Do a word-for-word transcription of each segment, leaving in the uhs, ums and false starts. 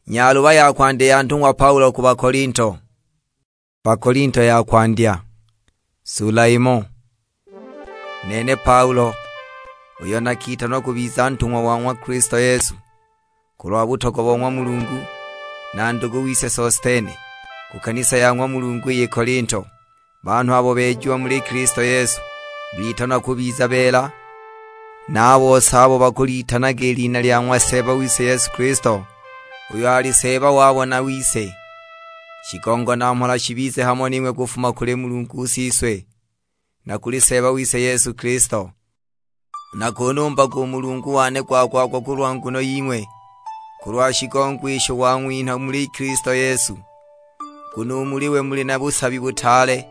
Nyaluba ya kwandya ya ntung'wa Paulo ku Bakolinto. Bakolinto ya kwandya, sula imo. Nene Paulo, uyo nakitanwa kubiza ntung'wa wa ng'wa Kilisto Yesu, kulwa butogwa bo ng'wa Mulungu, na ndugu wise Sostene, ku kanisa ya ng'wa Mulungu iyi Kolinto, banhu abo beejiwa muli Kilisto Yesu, bitanwa kubiza beela, na a bose abo bakulitanaga i lina lya ng'wa Seeba wise Yesu Kilisto, uyo ali Seeba wabo na wise. Shigongo na mhola shibize hamo ning'we kufuma kuli Mulungu Siswe, na kuli Seeba wise Yesu Kilisto. Nakunumbaga u Mulungu wane gwa-gwa-gwa kulwa nguno ying'we, kulwa shigongo isho wang'winha muli Kilisto Yesu. Nguno u muli we muli na busabi butaale,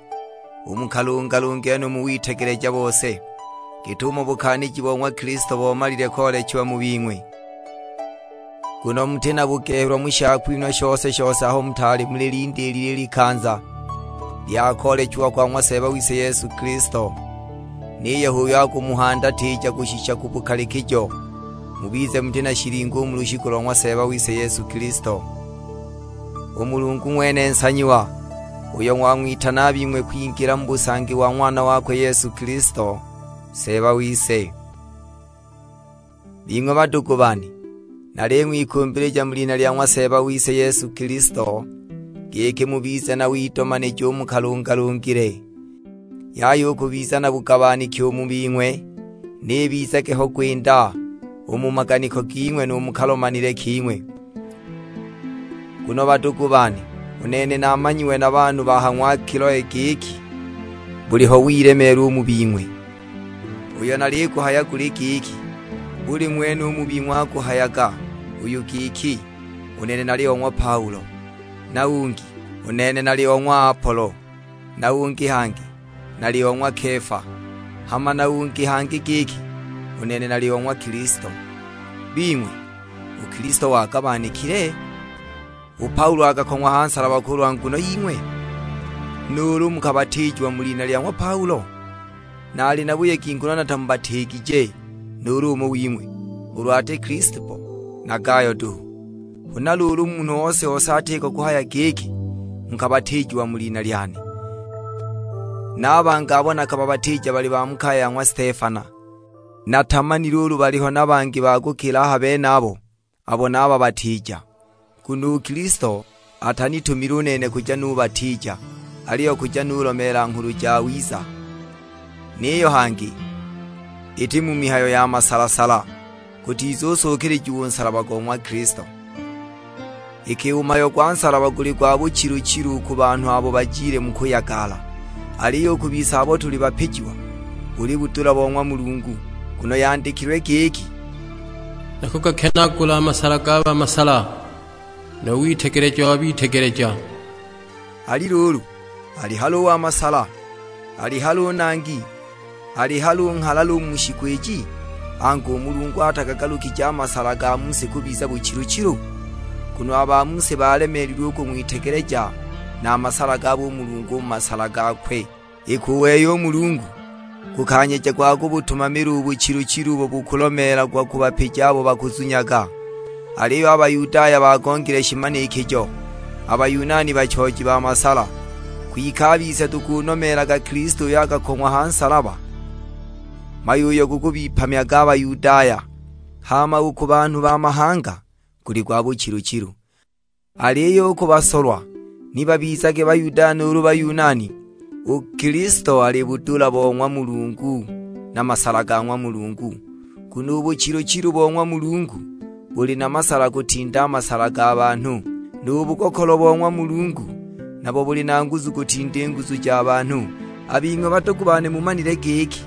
u mu kalungalunge no mu witegeleja bose, git'umo bukaaniji bo ng'wa Kilisto bomalile koolechiwa mu bing'we. Nguno muti na bugehelwa mu shakwinhwa shose-shose aho mutaali mulilindiilile i likanza lya koolechiwa kwa ng'wa Seeba wise Yesu Kilisto, niyo h'uyo akumuhandatija kushisha ku bukalikijo, mubize muti na shilingo u mu lushiku lo ng'wa Seeba wise Yesu Kilisto. U Mulungu ng'wene nsanyiwa, uyo ng'wang'witana a bing'we kwingila mu busangi wa Ng'wana wakwe Yesu Kilisto, Seeba wise. Bing'we badugu bane, naling'wikumbilija mu lina lya ng'wa Seeba wise Yesu Kilisto, giki mubize na widomanija u mu kalungalungile. Yaya u kubiza na bugabaniki u mu bing'we, ni bizage ho gwinda u mu maganiko ging'we nu mu kalomanile king'we. Nguno badugu bane, u nene namanyiwe na banhu ba ha ng'wa Kiloe giki buliho wilemeelwa u mu bing'we. Uyo naliguhaya guli giki, buli ng'wene u mu bing'we akuhayaga uyu giki, "U nene nali o ng'wa Paulo," na ungi, "U nene nali o ng'wa Apolo," na ungi hangi, "Nali o ng'wa Kefa," hama na ungi hangi giki, "U nene nali o ng'wa Kilisto." Bing'we, u Kilisto wagabanikile? U Paulo akakong'wa ha nsalaba kulwa nguno ying'we? Nuulu mukabatiijiwa mu lina lya ng'wa Paulo? Naali na buyegi nguno natamubatiigije nuulu umo wing'we, ulu ati Kilispo na Gayo duhu. Huna luulu munhu ose-ose atiko kuhaya giki, "Nkabatiijiwa mu lina lyane." Na a bangi abo nakababatiija bali ba mu kaya ya ng'wa Stefana. Natamanile ulu baliho na bangi ba kukila a ha benabo abo nababatiija. Nguno u Kilisto atanitumile u nene kuja nubatiija, aliyo kuja nulomeela Nghulu Jawiza. Niyo hangi, iti mu mihayo ya masala-sala, gutizusuukilijiwa u nsalaba go ng'wa Kilisto. Iki u mhayo gwa nsalaba guli gwa buchilu-chilu u ku banhu abo bajile mu kuyagala, aliyo u ku bise abo tuli bapijiwa, buli budula bo ng'wa Mulungu, nguno yandikilwe giki, "Nakugakenaagula a masala ga bamasala, nu witegeleja wa bitegeleja." Ali luulu, ali hali u wa masala? Ali hali u nangi? Ali hali u nghalala u mu shiku iji? Angu, u Mulungu atagagalukije a masala ga mu si kubiza buchilu-chilu? Nguno a ba mu si baalemeelilwe u kung'witegeleja, na a masala gabo u Mulungu u mu masala gakwe. Iki u wei u Mulungu, gukanyeja gwa kubutumamila u buchilu-chilu ubo bukulomeelagwa ku bapiji abo bakuzunyaga. Aliyo a Bayudaya bagongile shimanikijo, a Bayunani bachooji ba masala. Kwike a bise tukunomeelaga Kilisto uyo akakong'wa ha nsalaba, mhayo uyo gukubipamyaga a Bayudaya, hama u ku banhu ba mahanga guli gwa buchilu-chilu. Aliyo u ku basolwa, ni babizage Bayudaya nuulu Bayunani, u Kilisto ali budula bo ng'wa Mulungu, na masala ga ng'wa Mulungu. Nguno u buchilu-chilu bo ng'wa Mulungu buli na masala kutinda a masala ga banhu, nu bugokolo bo ng'wa Mulungu nabo buli na nguzu kutinda i nguzu ja banhu. A bing'we badugu bane mumanile giki,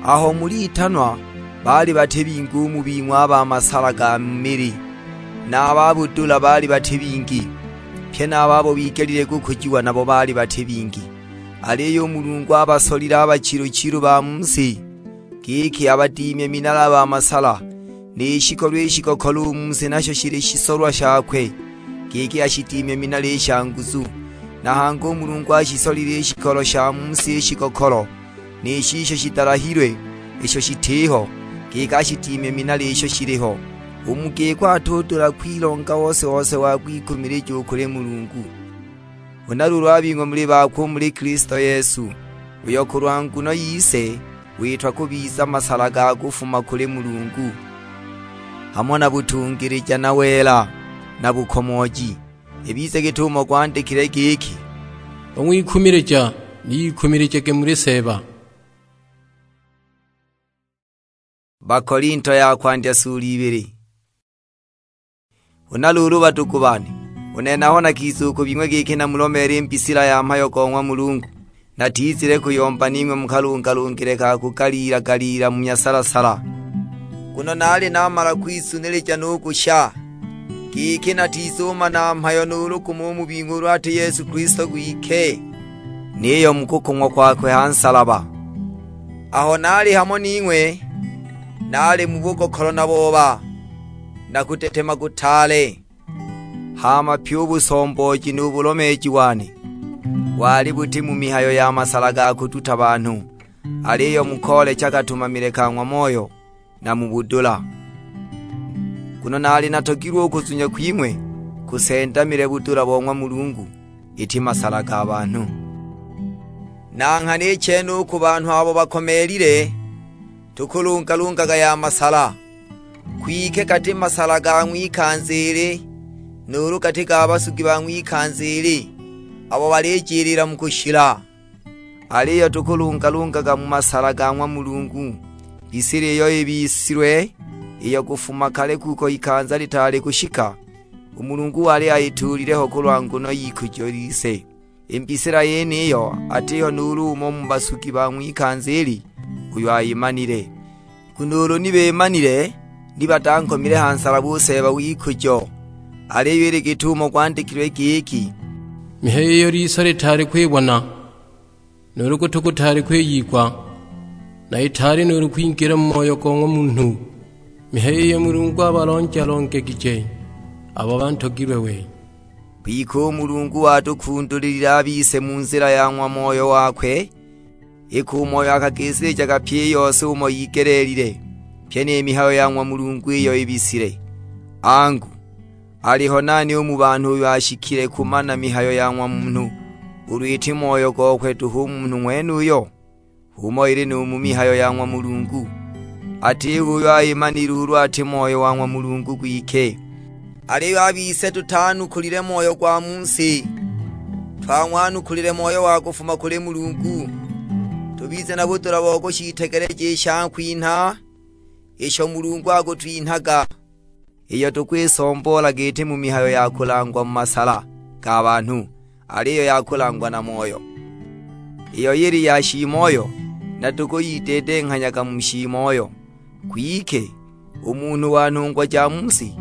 aho mulitanwa, baali bati bingi u mu bing'we a ba masala ga mili, na a ba budula baali bati bingi, pye na a babo bigelile kukujiwa nabo baali bati bingi. Aliyo u Mulungu abasolile a bachilu-chilu ba mu si, giki abadiimye minala a ba masala, ni shikolo i shikokolo u mu si nasho shili shisolwa shakwe, giki ashidimye minala i sha nguzu. Na hangi u Mulungu ashisolile i shikolo sha mu si i shikokolo, ni shisho shidalahilwe, isho shitiho, giki ashidimye minala isho shiliho, U mu giko atudula kwilonga ose-ose wa kwikumilija u kuli Mulungu. Huna luulu a bing'we muli bakwe u muli Kilisto Yesu, uyo kulwa nguno yise witwa kubiza masala ga kufuma kuli Mulungu, hamo na butungilija na wela na bukomooji, ibize git'umo gwandikilwe giki, "Ung'wikumilija ni ikumilijage muli Seeba." Bakolinto ya kwandya sula ibili. Huna luulu badugu bane, u nene aho nakiza u ku bing'we giki namulomeele i mbisila ya mhayo go ng'wa Mulungu, natizile kuyomba ning'we mukalungalungile ka kugaliila-galiila mu myasala-sala. Nguno naali namala kwizunilija nu kusha, giki natizumana mhayo nuulu gumo u mu bing'we ulu ati Yesu Kilisto gwike, niyo mu kukong'wa kwakwe ha nsalaba. Aho naali hamo ning'we, naali mu bugokolo na booba, na kutetema kutaale. Hama pyi u busombooji nu bulomeeji wane, wali buti mu mihayo ya masala ga kuduta banhu, aliyo mu koolecha katumamile ka ng'wa Moyo, na mu budula. Nguno naali natogilwe u kuzunya kwing'we kusendamile budula bo ng'wa Mulungu, iti masala ga banhu. Na nghana i chene u ku banhu abo bakomeelile, tukulungalungaga ya masala, kwike gati masala ga ng'wikanza ili, nuulu gati ga basugi ba ng'wikanza ili, abo balijilila mu kushila. Aliyo tukulungalungaga mu masala ga ng'wa Mulungu, mbisila iyo ibisilwe, iyo kufuma kale kuko ikanza litaali kushika, u Mulungu wali ayituulile ho kulwa nguno y'ikujo lise. I mbisila yeniyo atiho nuulu umo mu basugi ba ng'wikanza ili uyo ayimanile. Nguno ulu ni bimanile, ni batankomile ha nsalaba u Seeba w'ikujo. Aliyo ili git'umo gwandikilwe giki, "Mihayo iyo liso litaali kwibona, nuulu gutu gutaali kwiyigwa, na itaali nuulu kwingila mu moyo go ng'wa munhu, mihayo iyo Mulungu abalonja-longegije abo bantogilwe we." Kwike u Mulungu watukundulilile a bise mu nzila ya ng'wa Moyo wakwe, iki u Moyo akagisilijaga pyi i yose umo yigeleelile, pyi ni mihayo ya ng'wa Mulungu iyo ibisile. Angu, aliho nani u mu banhu uyo ashikile kumana mihayo ya ng'wa munhu, ulu iti moyo gokwe duhu u munhu ng'wenuyo? H'umo ili nu mu mihayo ya ng'wa Mulungu, atiho uyo ayimanile ulu ati Moyo wa ng'wa Mulungu gwike. Aliyo a bise tutaanukulile moyo gwa mu si, twang'wanukulile Moyo wa kufuma kuli Mulungu, tubize na budula bo kushitegeleja i shakwinha isho Mulungu akutwinhaga, iyo tukwisomboola giti mu mihayo ya kulangwa mu masala ga banhu, aliyo ya kulangwa na Moyo. Iyo yili ya shiimoyo, na tukuyidedenghanyaga mu shiimoyo. Kwike, u munhu wa nhungwa ja mu si,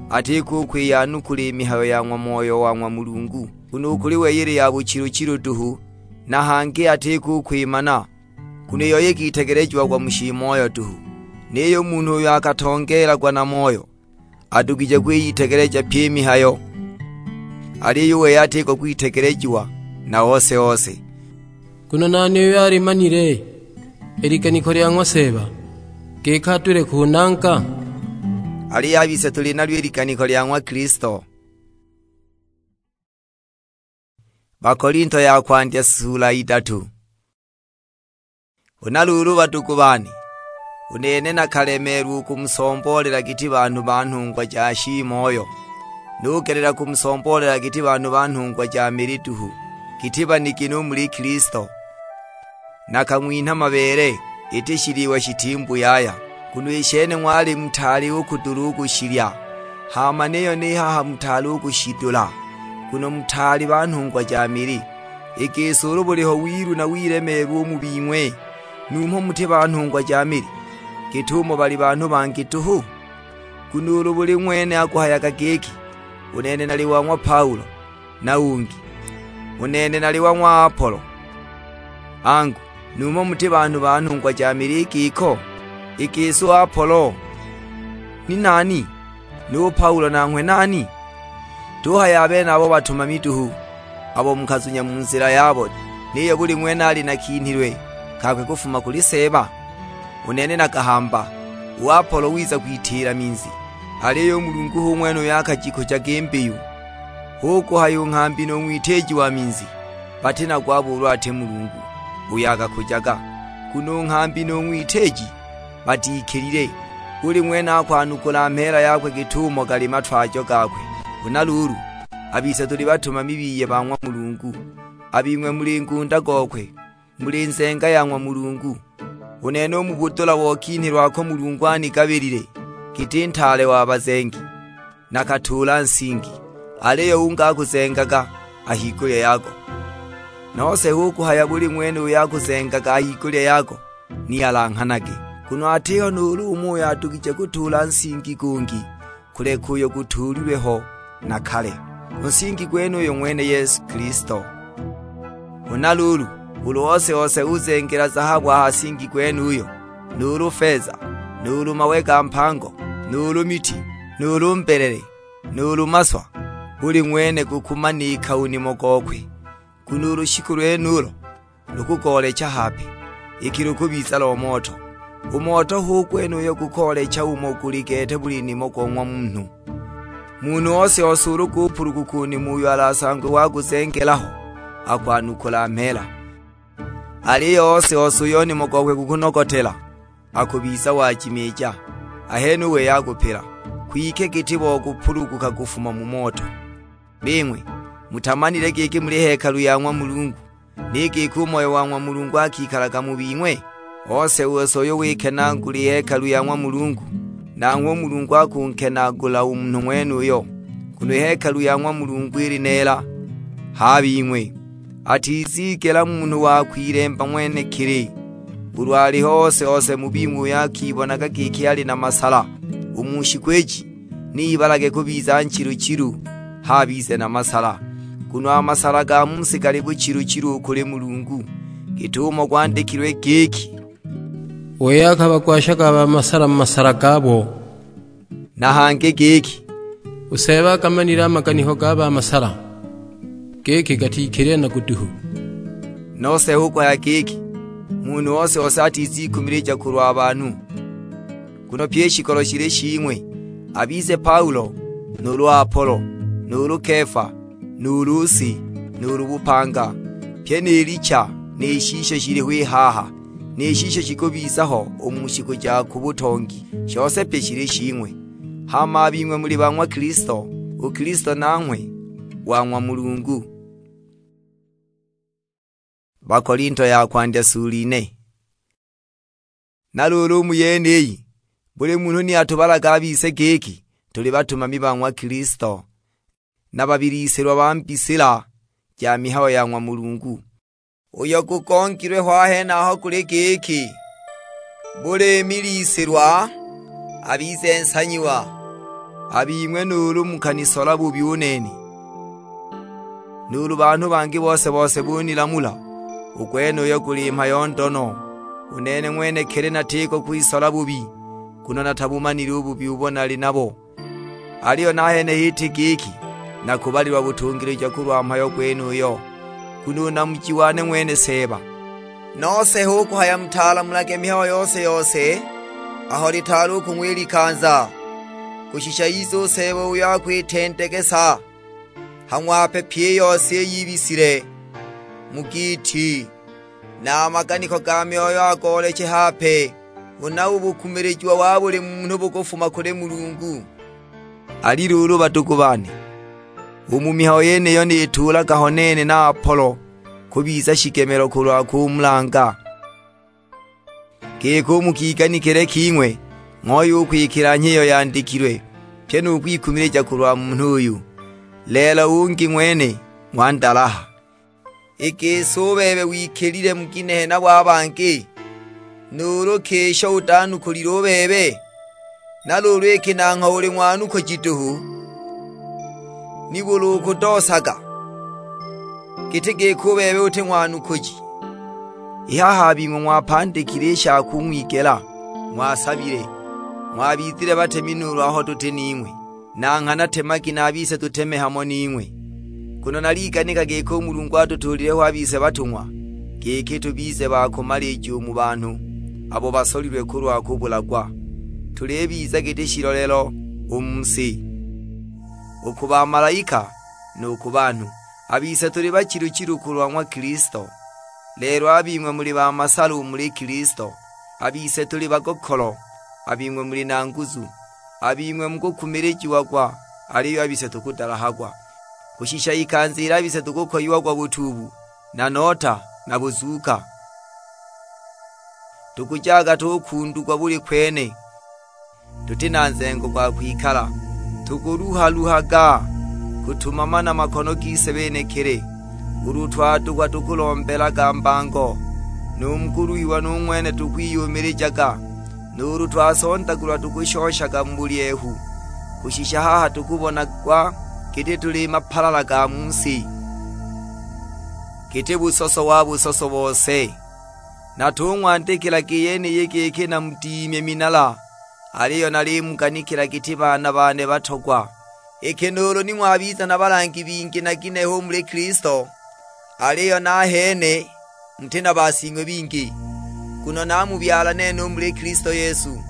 atiko u kwiyanukula i mihayo ya ng'wa Moyo wa ng'wa Mulungu, nguno u kuli wei ili ya buchilu-chilu duhu, na hangi atiko u kwimana, nguno iyo ikitegelejiagwa mu shiimoyo duhu. Niyo u munhu uyo akatongeelagwa na Moyo, adugije kwiyitegeleja pyi i mihayo, aliyo u wei atiko kwitegelejiwa na ose-ose. Nguno nani uyo alimanile i liganiko lya ng'wa Seeba, giki adule kunanga? Aliyo a bise tuli nalyo i liganiko lya ng'wa Kilisto. Bakolinto ya kwandya sula idatu. Huna luulu, badugu bane, u nene nakalemeelwa u kumusomboolela giti banhu ba nhungwa ja shiimoyo, nugelela kumusomboolela giti banhu ba nhungwa ja mili duhu, giti banigini u muli Kilisto. Nakang'winha mabeele, iti shiliwa shitimbuyaya, nguno i shene ng'wali mutaali u kudula u kushilya, hama niyo ni haha mutaali u kushidula, nguno mutaali ba nhungwa ja mili. I gisi ulu buliho wilu na wilemeelwa u mu bing'we, numho muti ba nhungwa ja mili, git'umo bali banhu bangi duhu? Nguno ulu buli ng'wene akuhayaga giki, "U nene nali wa ng'wa Paulo," na ungi, "U nene nali wa ng'wa Apolo." Angu, numho muti banhu ba nhungwa ja mili i giko? I gisi u Apolo ni nani? Nu Paulo nanghwe nani? Tuhaya a benabo batumami duhu, abo mukazunya mu nzila yabo, niyo buli ng'wene ali na kinhilwe kakwe kufuma kuli Seeba. U nene nakahamba, u Apolo wiza kwitiila minzi, Aliyo u Mulungu hu ng'wene uyo akajikujaga i mbiyu. Hu kuhaya u nghambi nu ng'witiiji wa minzi, bati nago abo ulu ati Mulungu uyo akakujaga. Nguno u nghambi nu ng'witiiji batikilile, buli ng'wene akwanukula mheela yakwe git'umo gali matwajo gakwe. Huna luulu, a bise tuli batumami biye ba ng'wa Mulungu, a bing'we muli ngunda gokwe, muli nzenga ya ng'wa Mulungu. U nene u mu budula bo kinhi lwako Mulungu anigabilile giti ntaale wa bazengi, nakatuula nsingi, aliyo ungi akuzengaga a higulya yago. Nose hu kuhaya buli ng'wene uyo akuzengaga a higulya yago ni alanghanage, nguno atiho nuulu umo uyo adugije kutuula nsingi gungi kuleka uyo gutuulilwe ho na kale, u nsingi gwenuyo ng'wene Yesu Kilisto. Huna luulu, ulu ose-ose uzengela zahabu a ha nsingi gwenuyo, nuulu feza, nuulu mawe ga mpango, nuulu miti, nuulu mbelele, nuulu maswa, buli ng'wene gukumanika u nimo gokwe, nguno u lushiku lwenulo lukugoolecha hape, iki lukubiza lo moto. U moto hu gwenuyo gukoolecha umo guli gete buli nimo go ng'wa munhu. Munhu ose-ose ulu gupuluguka u nimo uyo alasangwe waguzengela ho, akwanukula mheela. Aliyo ose-ose uyo nimo gokwe gukunogotela, akubiza wajimiija, ahene u wei akupila, kwike giti bo gupuluguka kufuma mu moto. Bing'we, mutamanile giki muli hekalu ya ng'wa Mulungu, ni giki u Moyo wa ng'wa Mulungu akikalaga mu bing'we? Ose-ose uyo wikenaagula i hekalu ya ng'wa Mulungu, nanghwe u Mulungu akunkenaagula u munhu ng'wenuyo, nguno i hekalu ya ng'wa Mulungu ili neela. H'a bing'we, atizigela munhu wa kwilemba ng'wenekili, ulu aliho ose-ose mu bing'we uyo akibonaga giki ali na masala u mu shiku iji, ni ibalage kubiza nchilu-chilu, h'a abize na masala. Nguno a masala ga mu si gali buchilu-chilu u kuli Mulungu, git'umo gwandikilwe giki, "Wei akabagwashaga a ba masala mu masala gabo." Na hangi giki, "U Seeba akamanile a maganiko ga ba masala, giki gatikilile nago duhu." Nose hu kuhaya giki, munhu ose-ose atizikumilija kulwa banhu. Nguno pyi i shikolo shili shing'we, abize Paulo, nuulu Apolo, nuulu Kefa, nuulu si, nuulu bupanga, pyi ni licha, ni shisho shiliho i haha, ni shisho shikubiza ho u mu shiku ja ku butongi, shose pyi shili shing'we. Hama a bing'we muli ba ng'wa Kilisto, u Kilisto nanghwe wa ng'wa Mulungu. Bakolinto ya kwandya sula ine. Na luulu u mu yeniyi, buli munhu ni atubalaga a bise giki tuli batumami ba ng'wa Kilisto, na babilisilwa ba mbisila ja mihayo ya ng'wa Mulungu. Uyo gugongilwe ho a henaho guli giki, buli milisilwa abize nsanyiwa. A bing'we nuulu mukanisola bubi u nene, nuulu banhu bangi bose-bose bunilamula, u gwenuyo guli mhayo ndo no. U nene ng'wenekili natiko kwisola bubi, nguno natabumanile u bubi ubo nali nabo. Aliyo nahene h'iti giki nakubalilwa butungilija kulwa mhayo gwenuyo, nguno u namuji wane ng'wene Seeba. Nose hu kuhaya mutalamulage mihayo yose-yose aho litaali u kung'wa i likanza, kushisha ize u Seeba uyo akwitendegesa, hang'wape pyi i yose iyo ibisile mu giiti, na a maganiko ga myoyo agooleche hape. Huna u bukumilijiwa wa buli munhu bukufuma kuli Mulungu. Ali luulu, badugu bane, u mu mihayo yeniyo nituulaga ho nene na Apolo kubiza shigemelo kulwa kumulanga. Giki u mu kiganikile king'we ng'oya u kwikila nhi iyo yandikilwe, pyi nu kwikumilija kulwa munhu uyu. Lelo ungi ng'wene ng'wandalaha. I gisi u bebe wikilile mu ginehe nabo a bangi? Nuulu ki isho utanukulile u bebe? Na luulu iki nangho uli ng'wanukuji duhu? Nibuli ukudoosaga, giti giki u bebe uti ng'wanukuji? I haha a bing'we ng'wapandikile i sha kung'wigela, ng'wasabile, ng'wabizile batemi nuulu aho tuti ning'we. Na nghana temagi na a bise tuteme hamo ning'we. Nguno naliganika giki u Mulungu atutuulile ho a bise batung'wa, giki tubize ba kumalija u mu banhu abo basolilwe kulwa kubulagwa. Tulibiza giti shilolelo u mu si, u ku bamalaika, nu ku banhu. A bise tuli bachilu-chilu kulwa ng'wa Kilisto, lelo a bing'we muli ba masalu u muli Kilisto. A bise tuli bagokolo, a bing'we muli na nguzu. A bing'we mukukumilijiagwa, aliyo a bise tukudalahagwa, kushisha ikanza ilo a bise tukukoyiagwa butuubu, na nota, na buzuuka. Tukujaga tukundugwa buli kwene, tuti na nzengo gwa kwikala. Tukuluha-luhaga kutumama na makono gise benekili. Ulu twadukwa tukulombelaga mbango, nu mu kuluhiwa nu ng'wene tukwiyumilijaga. Nuulu twasondagulwa tukushoshaga mu bulyehu, kushisha haha tukubonagwa giti tuli mapalala ga mu si, giti busoso wa busoso bose. Natung'wandikilaga i yeniyi giki namudimye minala, aliyo nalimuganikila giti baana bane batogwa. Iki nuulu ni ng'wabiza na balangi bingi na ginehe u muli Kilisto, aliyo nahene muti na basing'we bingi, nguno namubyala nene u muli Kilisto Yesu,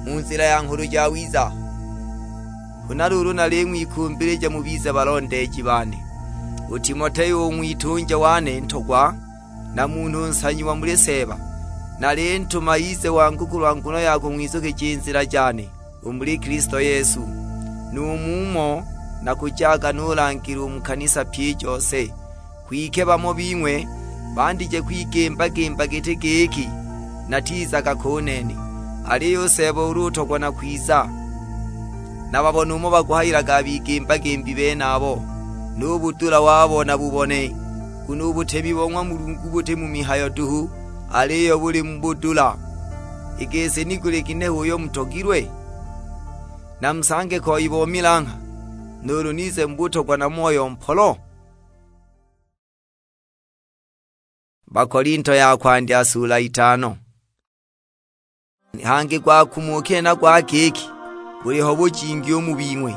mu nzila ya Nghulu Jawiza. Huna luulu naling'wikumbilija mubize balondeeji bane. U Timoteo u ng'witunja wane ntogwa, na munhu nsanyiwa muli Seeba, nalintuma ize wangu kulwa nguno ya kung'wizukija i nzila jane u muli Kilisto Yesu. Nu mumo nakujaga nulangila u mu kanisa pyi i jose. Kwike bamo bing'we bandije kwigimba-gimba giti giki natizaga ko u nene. Aliyo u Seeba ulu utogwa nakwiza, nababone umo bakuhayilaga a bigimba-gimbi benabo, nu budula wabo nabubone. Nguno u butemi bo ng'wa Mulungu buti mu mihayo duhu, aliyo buli mu budula. I gisi ni guli ginehe uyo mutogilwe? Namusange koi bo milangha, nuulu nize mu butogwa na moyo mpolo? Bakolinto ya kwandya sula itano. Hangi gwakumukile na gwa giki, buliho bujingi u mu bing'we,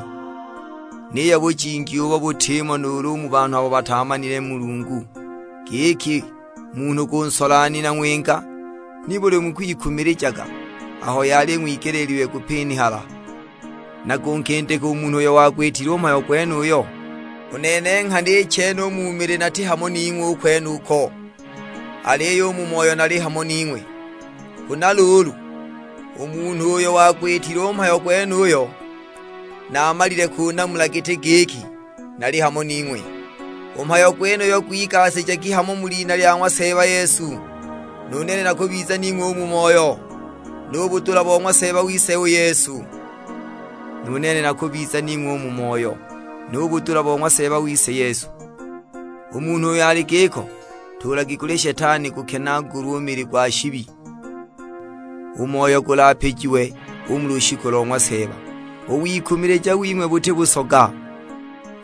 niyo bujingi ubo butimo nuulu u mu banhu abo bataamanile Mulungu, giki munhu kunsola ni na ng'winga? Nibuli mukwikumilijaga aho yali ng'wigeleelilwe kupinihala, na kunkindika u munhu uyo wagwitile u mhayo gwenuyo? U nene nghana i chene u mu mili nati hamo ning'we u kwenuko, aliyo u mu moyo nali hamo ning'we. Huna luulu, u munhu uyo wagwitile u mhayo gwenuyo, naamalile kunamula giti giki nali hamo ning'we. U mhayo gwenuyo gwigasijagi hamo mu lina lya ng'wa Seeba Yesu, nu nene nakubiza ning'we u mu moyo, nu budula bo ng'wa Seeba wise u Yesu. Nu nene nakubiza ning'we u mu moyo, nu budula bo ng'wa Seeba wise Yesu. U munhu uyo ali giko, tuulagi kuli Shetani gukenaagulwe u mili gwa shibi, u moyo gulapijiwe u mu lushiku lo ng'wa Seeba. U wikumilija wing'we buti busoga.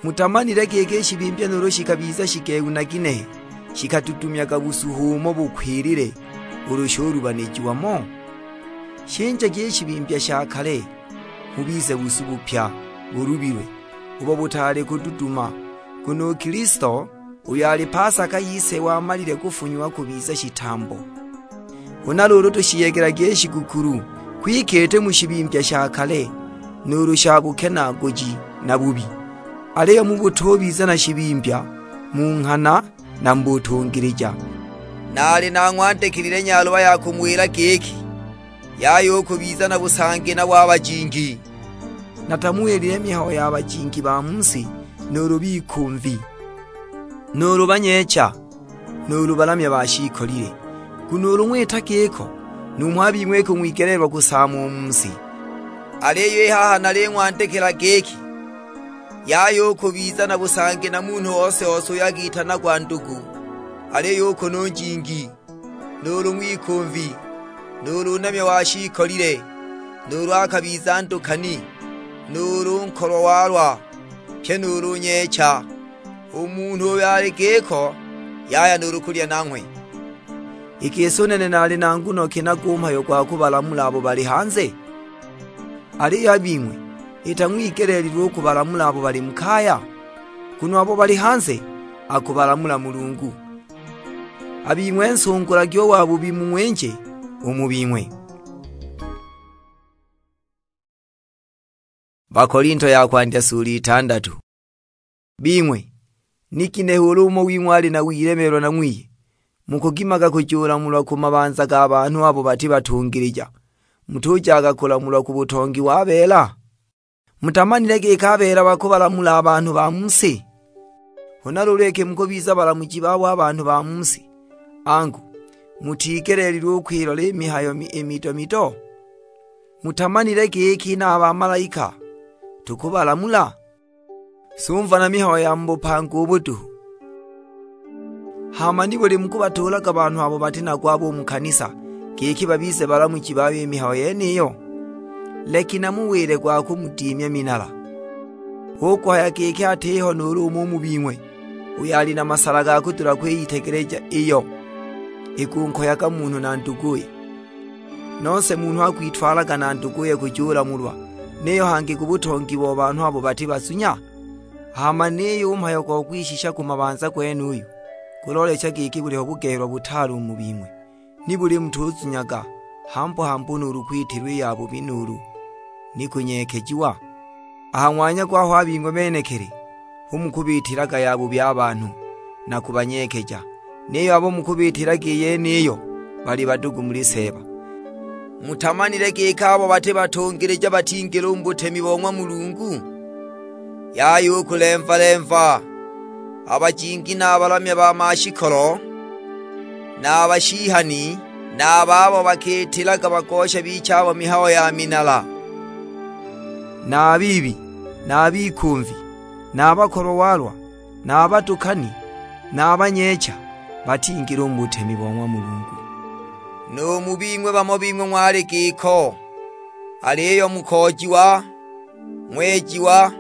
Mutamanile giki i shibimbya nuulu shikabiza shigehu na ginehe, shikatudumyaga busuhu umo bukwilile ulu shulubanijiwa mo? Shinjagi i shibimbya sha kale, mubize busu bupya, bulubilwe, ubo butaali kududuma, nguno u Kilisto, uyo ali Pasaka yise wamalile kufunyiwa kubiza shitambo. Huna luulu tushiyegelagi i shigukulu, kwike iti mu shibimbya sha kale, nuulu sha bukenaaguji na bubi, aliyo mu butubiza na shibimbya, mu nghana na mu butungilija. Naali nang'wandikilile nyaluba ya kumuwila giki, yaya u kubiza na busangi na wa bajingi. Natamuwilile mihayo ya bajingi ba mu si, nuulu bikumvi, nuulu banyeecha, nuulu balamya ba shiikolile. Nguno ulu ng'wita giko, numho a bing'we iki ng'wigeleelwa kusaama u mu si. Aliyo i haha naling'wandikila giki, yaya u kubiza na busangi na munhu ose-ose uyo akitanagwa ndugu, aliyo u kunu njingi, nuulu ng'wikumvi, nuulu namya wa shiikolile, nuulu akabiza ndukani, nuulu nkolwa walwa, pyi nuulu nyeecha. U munhu uyo ali giko, yaya nuulu kulya nanghwe. I gisi u nene naali na nguno ki nago u mhayo gwa kubalamula abo bali hanze? Aliyo a bing'we, ita ng'wigeleelilwe u kubalamula abo bali mu kaya? Nguno abo bali hanze, akubalamula Mulungu. A bing'we nsungulagi u wabubi mung'winje u mu bing'we. Bakolinto ya kwandya sula itandatu. Bing'we, ni ginehe ulu umo wing'we ali na wilemeelwa na ng'wiye, mukugimaga kujulamulwa ku mabanza ga banhu abo bati batungilija, mutujaga kulamulwa ku butongi wa beela? Mutamanile giki a beela bakubalamula a banhu ba mu si? Huna luulu iki mukubiza balamuji babo a banhu ba mu si, angu, mutigeleelilwe u kwilola i mihayo mi-, i mito-mito? Mutamanile giki na a bamalaika tukubalamula? Sumva na mihayo ya mu bupanga ubu duhu. Hama nibuli mukubatuulaga banhu abo bati nago abo u mu kanisa, giki babize balamuji bayo i mihayo yeniyo? Leki namuwile gwa kumudimya minala, hu kuhaya giki atiho nuulu umo u mu bing'we uyo ali na masala ga kudula kwiyitegeleja iyo ikunkoyaga munhu na nduguye. Nose munhu akwitwalaga na nduguye kujulamulwa, niyo hangi ku butongi bo banhu abo bati bazunya? Hama niyo u mhayo go kwishisha ku mabanza gwenuyu, guloolecha giki buliho bugehelwa butaale u mu bing'we. Nibuli mutuzunyaga hambu-hambu nuulu kwitilwa i yabubi nuulu ni kunyeekejiwa? A ha ng'wanya gwaho a bing'we benekili hu mukubiitilaga yabubi a banhu, na kubanyeekeja. Niyo abo mukubiitilaga i yeniyo bali badugu muli Seeba. Mutamanile giki abo bati batungilija batingila u mu butemi bo ng'wa Mulungu? Yaya u kulemva-lemva, a bajingi na a balamya ba mashikolo, na a bashihani, na a babo bakiitilaga bagosha bicha abo mihayo ya minala, na a biibi, na a bikumvi, na a bakolwa walwa, na a batukani, na a banyeecha, batingila u mu butemi bo ng'wa Mulungu. Nu mu bing'we bamo bing'we ng'wali giko, aliyo mukoojiwa, ng'wejiwa,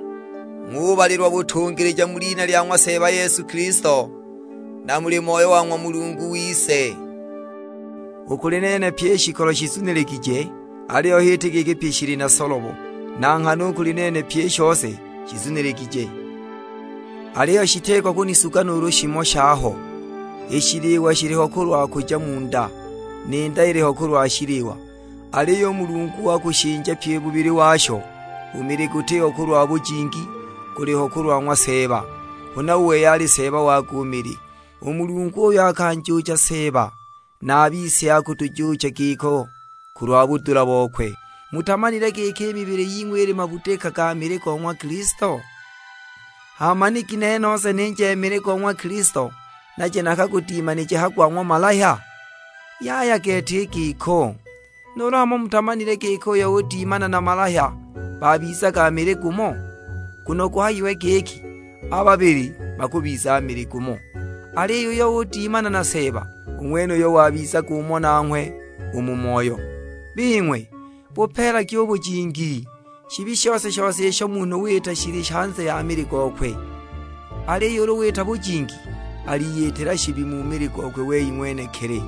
ng'ubalilwa butungilija mu lina lya ng'wa Seeba Yesu Kilisto, na muli Moyo wa ng'wa Mulungu wise. U kuli nene pyi i shikolo shizuniligije, aliyo h'iti giki pyi shili na solobo, na nghana u kuli nene pyi i shose shizuniligije. Aliyo shitiko kunisuga nuulu shimo shaho. I shiliwa shiliho kulwa kuja mu nda, ni nda iliho kulwa shiliwa. Aliyo u Mulungu wakushinja pyi u bubili washo, u mili gutiho kulwa bujingi, guliho kulwa ng'wa Seeba, huna u wei ali Seeba wakwe u mili. U Mulungu uyo akanjuucha Seeba, na a bise akutujuucha giko kulwa budula bokwe. Mutamanile giki i mibili ying'we ili mabudika ga mili go ng'wa Kilisto? Hama ni ginehe nose ninja i mili go ng'wa Kilisto, naje nakagudimanije ha gwa ng'wa malahya? Yaya gete i giko! Nuulu hamo mutamanile giki uyo udimana na malahya babizaga mili gumo? Nguno guhayiwe giki, "A babili bakubiza mili gumo." Aliyo uyo udimana na Seeba, u ng'wenuyo wabizaga umo nanghwe u mu moyo. Bing'we, bupeelagi u bujingi. Shibi shose-shose isho munhu wita shili hanze ya mili gokwe. Aliyo ulu wita bujingi, aliyitila shibi mu mili gokwe wei ng'wenekili.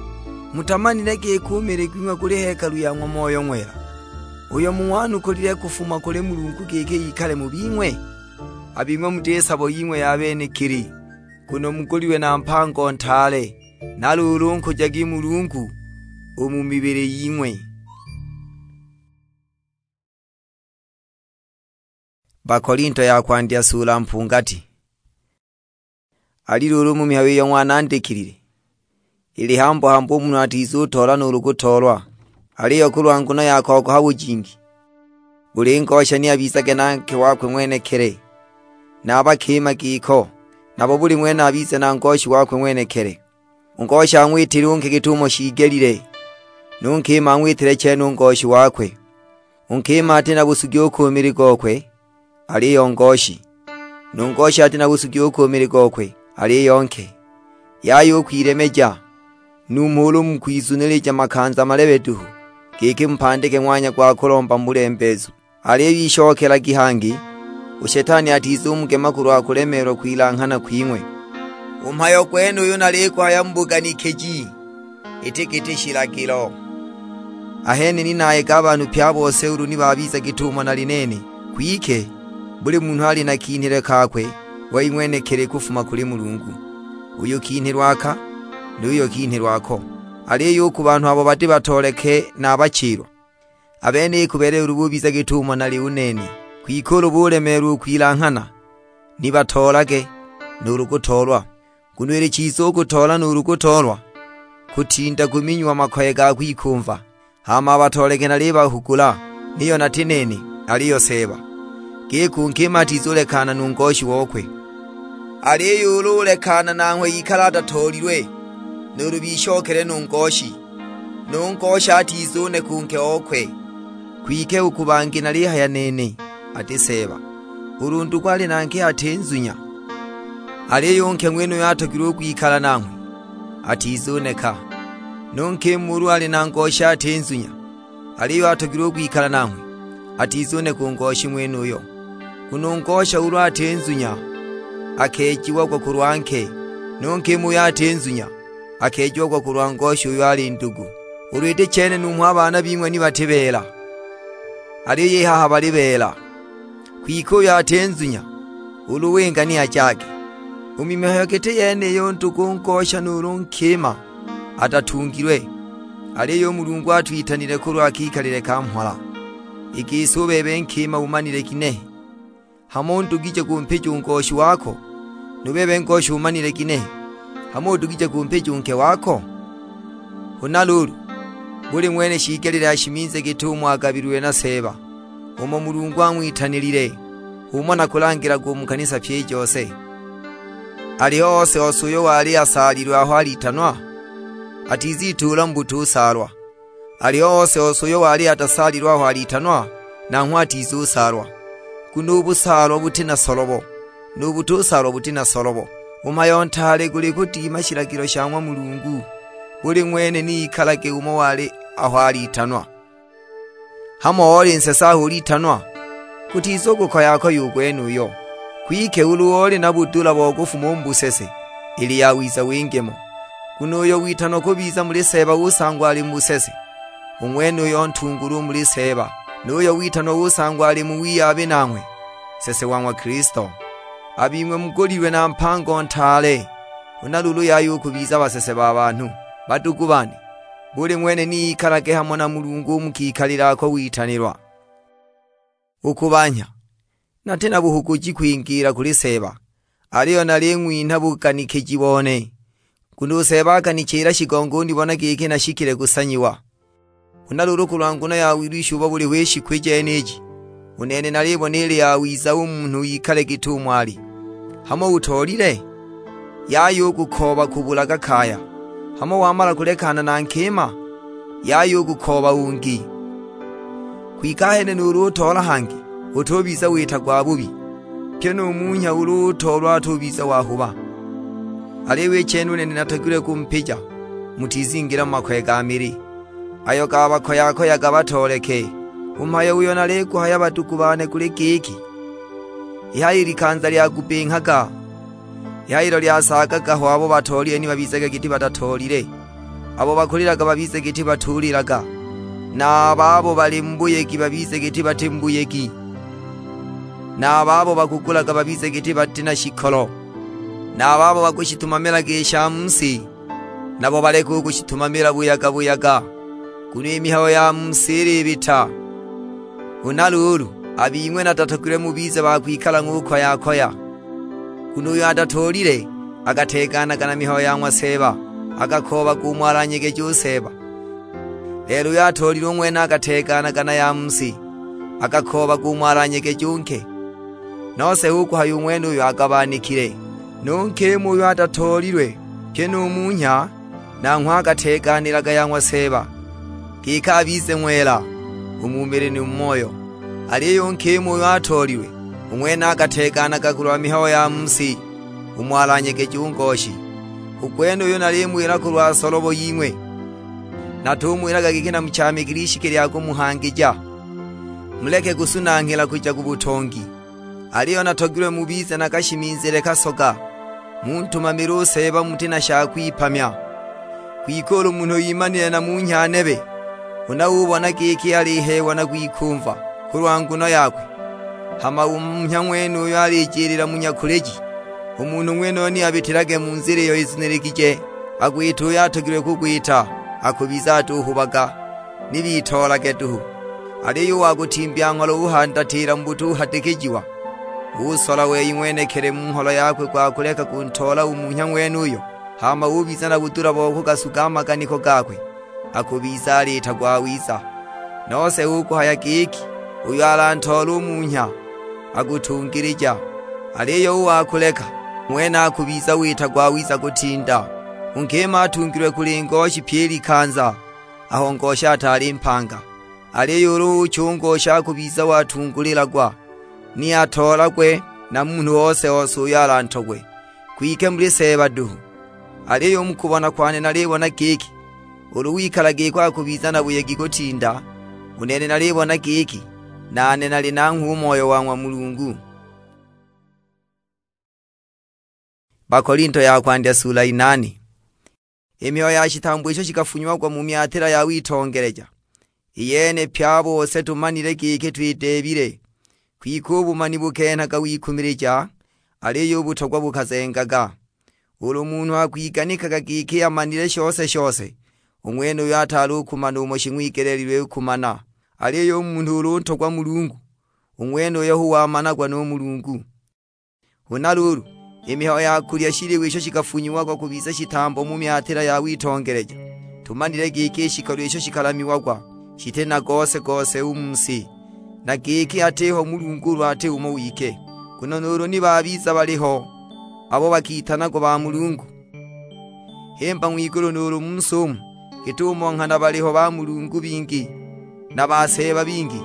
Mutamanile giki u mili gwing'we guli hekalu ya ng'wa Moyo Ng'wela, uyo mung'wanukulile kufuma kuli Mulungu giki ikale mu bing'we? A bing'we muti sabo ying'we ya benekili, nguno mugulilwe na mpango ntaale. Na luulu nkujagi Mulungu u mu mibili ying'we. Bakolinto ya kwandya sula mpungati. Ali luulu mu mihayo iyo ng'wanandikilile, ili hambu-hambu u munhu atizutoola nuulu kutoolwa, aliyo kulwa nguno ya kogoha bujingi, buli ngosha ni abizage na nke wakwe ng'wenekili, na a bakima giko, nabo buli ng'wene abize na ngoshi wakwe ng'wenekili. U ngoshi ang'witile u nke git'umo shiigelile, nu nkima ang'witile chene u ngoshi wakwe. U nkima ati na busugi u ku mili gokwe, aliyo ngoshi; nu ngoshi ati na busugi u ku mili gokwe, aliyo nke. Yaya u kwilemeja, numho ulu mukwizunilija makanza malebe duhu, giki mupandike ng'wanya gwa kulomba mu bulembeezu. Aliyo ishokelagi hangi, u Shetani atizumugema kulwa kulemeelwa kwilanghana kwing'we. U mhayo gwenuyu naliguhaya mu buganikiji, iti giti shilagilo. Ahene ni nayega a banhu pye a bose ulu ni babiza git'umo nali nene. Kwike, buli munhu ali na kinhilwe kakwe wei ng'wenekili kufuma kuli Mulungu. Uyu kinhilwe aka, nu yuyo kinhilwe ako. Aliyo u ku banhu abo bati batooleke na a bachilwa, a benabo ikubeelela ulu bubiza git'umo nali u nene. Kwike ulu bulemeelwa u kwilanghana, ni batoolage nuulu kutoolwa. Nguno ili chiza u kutoola nuulu kutoolwa, kutinda kuminyiwa makoye ga kwikumva. Hama a batooleke nalibahugula, niyo nati nene, aliyo Seeba, giki u nkima atizulekana nu ngoshi okwe. Aliyo ulu ulekana nanghwe ikale atatoolilwe, nuulu bishokele nu ngoshi, nu ngoshi atizuneka u nke okwe. Kwike u ku bangi nalihaya nene, ati Seeba, ulu ndugu ali na nke ati nzunya, aliyo u nke ng'wenuyo atogilwe u kwikala nanghwe, atizuneka. Nu nkima ulu ali na ngoshi ati nzunya, aliyo atogilwe u kwikala nanghwe, atizuneka u ngoshi ng'wenuyo. Nguno u ngosha ulu ati nzunya, akeejiagwa kulwa nke, nu nkima uyo ati nzunya, akeejiagwa kulwa ngosha uyo ali ndugu. Ulu iti chene numho a baana bing'we ni bati beela, aliyo i haha bali beela. Kwike uyo ati nzunya, ulu winga ni ajage. U mu mihayo giti yeniyo u ndugu ngosha nuulu nkima atatungilwe, aliyo u Mulungu atwitanile kulwa kikalile ka mhola. I gisi u bebe nkima umanile ginehe? Hamo udugije kumpija u ngoshi wako? Nu bebe ngoshi umanile ginehe? Hamo udugije kumpija u nke wako? Huna luulu, buli ng'wene shiigelile ashiminze git'umo agabililwe na Seeba, umo Mulungu ang'witanilile, h'umo nakulangilaga u mu kanisa pyi i jose. Aliyo ose-ose uyo wali asaalilwe aho alitanwa, atizituula mu butusaalwa. Aliyo ose-ose uyo wali atasaalilwe aho alitanwa, nanghwe atizusaalwa. Nguno u busaalwa buti na solobo, nu butusaalwa buti na solobo. U mhayo ntaale guli kudima shilagilo sha ng'wa Mulungu, buli ng'wene ni ikalage umo wali aho alitanwa. Hamo oli nsese aho ulitanwa? Gutizugukoya-koya u gwenuyo. Kwike ulu oli na budula bo kufuma u mu busese, ili yawiza winge mo. Nguno uyo witanwa kubiza muli Seeba usangwa ali mu busese, u ng'wenuyo ntungulwa u muli Seeba. Nu uyo witanwa usangwa ali mu wiyabi nanghwe, nsese wa ng'wa Kilisto. A bing'we mugulilwe na mpango ntaale, huna luulu yaya u kubiza basese ba banhu. Badugu bane, buli ng'wene ni ikalage hamo na Mulungu u mu kikalile ako witanilwa. U ku banhya, nati na buhuguji kwingiila kuli Seeba, aliyo naling'winha buganikiji bone, nguno u Seeba akanichila shigongo unibona giki nashikile kusanyiwa. Huna luulu kulwa nguno ya wilwisha ubo buliho i shiku i jeniji, u nene nalibona ili yawiza u munhu ikale git'umo ali. Hamo utoolile? Yaya u kukooba kubulaga kaya. Hamo wamala kulekana na nkima? Yaya u kukooba ungi. Kwike ahene nuulu utoola hangi, utubiza wita gwa bubi, pyi nu munhya ulu utoolwa atubiza wahuba. Aliyo i chene u nene natogilwe kumpija, mutizingila mu makoye ga mili, ayo gabakoya-koyaga batooleke. U mhayo uyo naliguhaya badugu bane guli giki, i haha i likanza lyagubinghaga, i haha ilo lyasaagaga ho abo batoolile ni babizage giti batatoolile, abo bakulilaga babize giti batulilaga, na a babo bali mu buyegi babize giti bati mu buyegi, na a babo bakugulaga babize giti bati na shikolo, na a babo bakushitumamilaga i sha mu si, nabo baleke u kushitumamila buyaga-buyaga, nguno i mihayo ya mu si ilibita. Huna luulu, a bing'we natatogilwe mubize ba kwikala ng'ukoya-koya, nguno uyo atatoolile akateeganaga na mihayo ya ng'wa Seeba, akakoobaga umo alanyegeje u Seeba. Lelo uyo atoolile u ng'wene akateeganaga na ya mu si, akakoobaga umo alanyegeje u nke. Nose hu kuhaya u ng'wenuyo agabanikile. Nu nkima uyo atatoolilwe, pyi nu munhya, nanghwe akateeganilaga ya ng'wa Seeba, giki abize ng'wela u mu mili ni mu moyo. Aliyo u nkima uyo atoolilwe, u ng'wene akateeganaga kulwa mihayo ya mu si, umo alanyegeje u ngoshi. U gwenuyu nalimuwila kulwa solobo ying'we, natumuwilaga giki namuchaamikile ishiki lya kumuhangija. Muleke kusunanghila kuja ku butongi. Aliyo natogilwe mubize na kashimizile kasoga, muntumamile u Seeba muti na sha kwipamya. Kwike ulu munhu imanile na munhya nebe, huna ubona giki aliheewa na kwikumva kulwa nguno yakwe, hama u munhya ng'wenuyo alijilila mu nyakuliji, u munhu ng'wenuyo ni abitilage mu nzila iyo izuniligije, agwite uyo atogilwe kugwita, akubiza atuhubaga. Ni bitoolage duhu. Aliyo u wa kutimbya ngholo uhandatiila mu butuhadikijiwa, usola wei ng'wenekili mu ngholo yakwe gwa kuleka kuntoola u munhya ng'wenuyo, hama ubiza na budula bo kugasuga a maganiko gakwe, akubiza aliita gwawiza. Nose hu kuhaya giki, "Uyo alantoola u munhya, akutungilija." Aliyo u wa kuleka, ng'wene akubiza wita gwawiza kutinda. U nkima atungilwe kuli ngoshi pyi i likanza, aho ngoshi ataali mpanga. Aliyo ulu ucha u ngoshi akubiza watungulilagwa, ni atoolagwe na munhu ose-ose uyo alantogwe, kwike muli Seeba duhu. Aliyo u mu kubona kwane nalibona giki, ulu wikala giko akubiza na buyegi kutinda, u nene nalibona giki, nane nali nanghwe u Moyo wa ng'wa Mulungu. Bakolinto ya kwandya sula inane. I mihayo ya shitambo isho shikafunyiagwa mu myatila ya witongeleja, i yene pye a bose tumanile giki twideebile. Kwike u bumani bukenhaga wikumilija, aliyo u butogwa bukazengaga. Ulu munhu akwiganikaga giki amanile shose-shose, u ng'wenuyo ataali u kumana umo shing'wigeleelilwe u kumana. Aliyo u munhu ulu untogwa Mulungu, u ng'wenuyo hu wamanagwa nu Mulungu. Huna luulu, i mihayo ya kulya shiliwa isho shikafunyiagwa kubiza shitambo mu myatila ya witongeleja, tumanile giki i shikolo isho shikalamiagwa shiti na gose-gose u mu si, na giki atiho Mulungu ulu ati umo wike. Nguno nuulu ni babiza baliho abo bakitanagwa ba Mulungu, himba ng'wigulu nuulu mu si umu, git'umo nghana baliho ba Mulungu bingi na ba seeba bingi,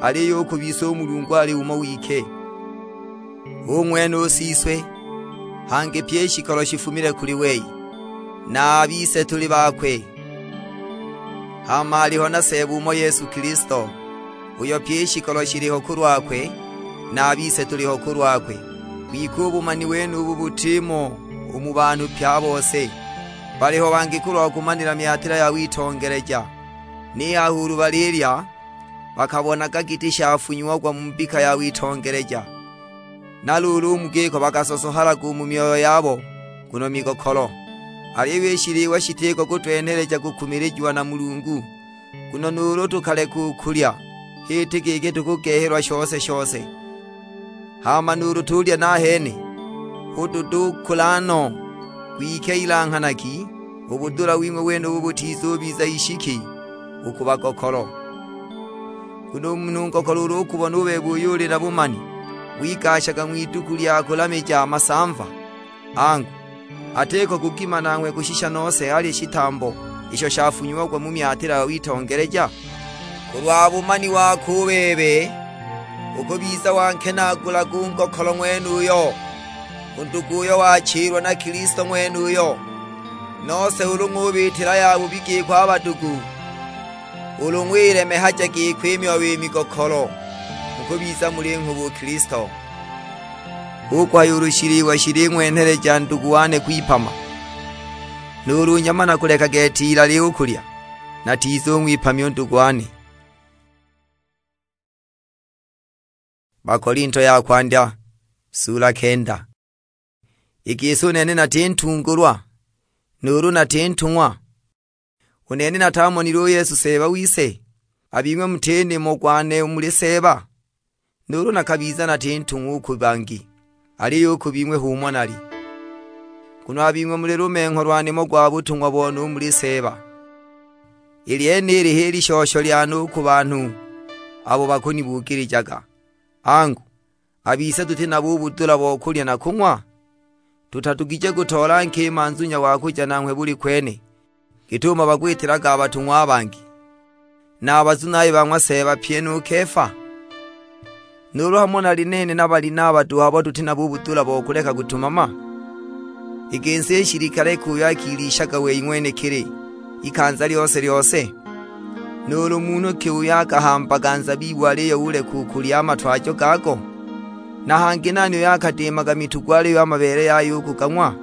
aliyo u ku bise u Mulungu ali umo wike, u ng'wene u Siswe, hangi pyi i shikolo shifumile kuli wei, na a bise tuli bakwe. Hama aliho na Seeba umo Yesu Kilisto, uyo pyi i shikolo shiliho kulwakwe, na a bise tuliho kulwakwe. Kwike u bumani wenubu butimo u mu banhu pye a bose. Baliho bangi kulwa kumanila myatila ya witongeleja, ni haho ulu balilya, bakabonaga giti shafunyiagwa mu mbika ya witongeleja. Na luulu u mu giko bakasosohalaga u mu myoyo yabo, nguno migokolo. Aliyo i shiliwa shitiko kutwenheleja kukumilijiwa na Mulungu. Nguno nuulu tukaleka u kulya, h'iti giki tukugehelwa shose-shose. Hama nuulu tulya nahene, hu tudukula no. Kwike ilanghanagi, u budula wing'we wenubu butizubiza ishiki u ku bagokolo. Nguno u munhu ngokolo ulu ukubona u bebe uyo uli na bumani, wigashaga ng'widuku lya kulamija a masamva, angu, atiko kugima nanghwe kushisha nose alye shitambo isho shafunyiagwa mu myatila ya witongeleja? Kulwa bumani wako u bebe, ukubiza wankenaagulaga u ngokolo ng'wenuyo, u ndugu uyo wachilwa na Kilisto ng'wenuyo. Nose ulu ng'ubiitila yabubi giko a badugu, ulu ng'wilemehaja giko i myoyo i migokolo, mukubiza muli nghubu u Kilisto. Hu kuhaya ulu shiliwa shiling'wenheleja ndugu wane kwipama, nuulu nyama nakuleka gete ilali u kulya, natizung'wipamya u ndugu wane. Bakolinto ya kwandya, sula kenda. I gisi u nene nati ntungulwa, nuulu nati ntung'wa? U nene natamonile u Yesu Seeba wise? A bing'we muti nimo gwane u muli Seeba? Nuulu nakabiza nati ntung'wa u ku bangi, aliyo u ku bing'we h'umo nali. Nguno a bing'we muli lumengho lwa nimo gwa butung'wa bone u muli Seeba. I lyenili h'i lishosho lyane u ku banhu abo bakunibugilijaga. Angu, a bise tuti nabo u budula bo kulya na kung'wa? Tutadugije kutoola nkima nzunya wa kuja nanghwe buli kwene, git'umo bakwitilaga a batung'wa a bangi, na a bazunayi ba ng'wa Seeba pyi nu Kefa? Nuulu hamo nali nene na Balinaba duhu abo tuti nabo u budula bo kuleka kutumama? I gisi i shilikale ki uyo akilishaga wei ng'wenekili ikanza lyose-lyose? Nuulu munhu ki uyo akahambaga nzabibu aliyo uleka u kulya a matwajo gago? Na hangi nani uyo akadiimaga mitugu aliyo a mabeele yayo ukugang'wa?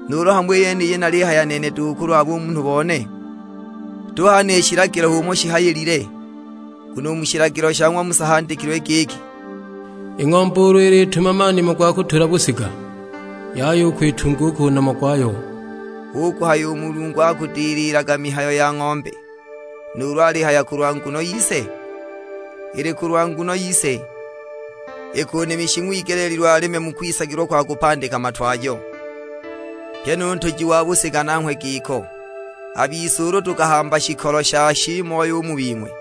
Nuulu hamo i yeniyi nalihaya nene duhu kulwa bumunhu bone? Tuhane i shilagilo h'umo shihayilile, nguno u mu shilagilo sha ng'wa Musa handikilwe giki, "I ng'ombe ulu ilitumama nimo gwa kutula busiga, yaya u kwitunga u ku nomo gwayo." Hu kuhaya u Mulungu akudililaga mihayo ya ng'ombe, nuulu alihaya kulwa nguno yise? Ili kulwa nguno yise, ikunimishi ng'wigeleelilwe aleme mu kwisagilwa kwa kupandika matwajo. Pyi nu ntuji wa busika nanghwe giko. A bise ulu tukahamba shikolo sha shiimoyo u mu bing'we,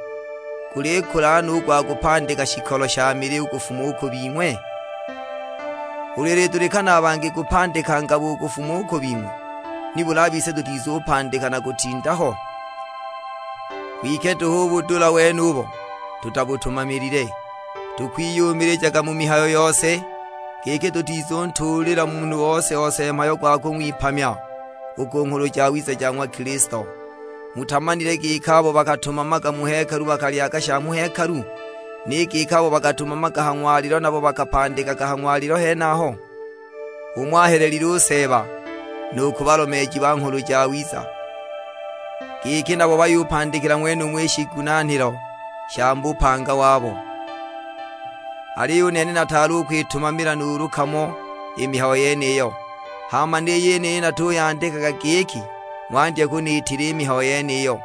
gulikula no u gwa kupandika shikolo sha mili u kufuma u ku bing'we? Ulu ilidulikana a bangi kupandika ngabo u kufuma u ku bing'we, nibuli a bise tutizupandika na kutinda ho? Kwike duhu u budula wenubo tutabutumamilile. Tukwiyumilijaga mu mihayo yose, giki tutizuntuulila munhu ose-ose mhayo gwa kung'wipamya u ku Nghulu Jawiza ja ng'wa Kilisto. Mutamanile giki abo bakatumamaga mu hekalu bakalyaga sha mu hekalu, ni giki abo bakatumamaga ha ng'walilo nabo bakapandikaga ha ng'walilo henaho? Hu ng'wahelelile u Seeba, nu ku balomeeji ba Nghulu Jawiza, giki nabo bayupandikila ng'wenumo i shigunanhilo sha mu bupanga wabo. Aliyo u nene nataali u kwitumamila nuulu kamo i mihayo yeniyo. Hama ni yeniyi natuyandikaga giki ng'wandya kuniitila i mihayo yeniyo,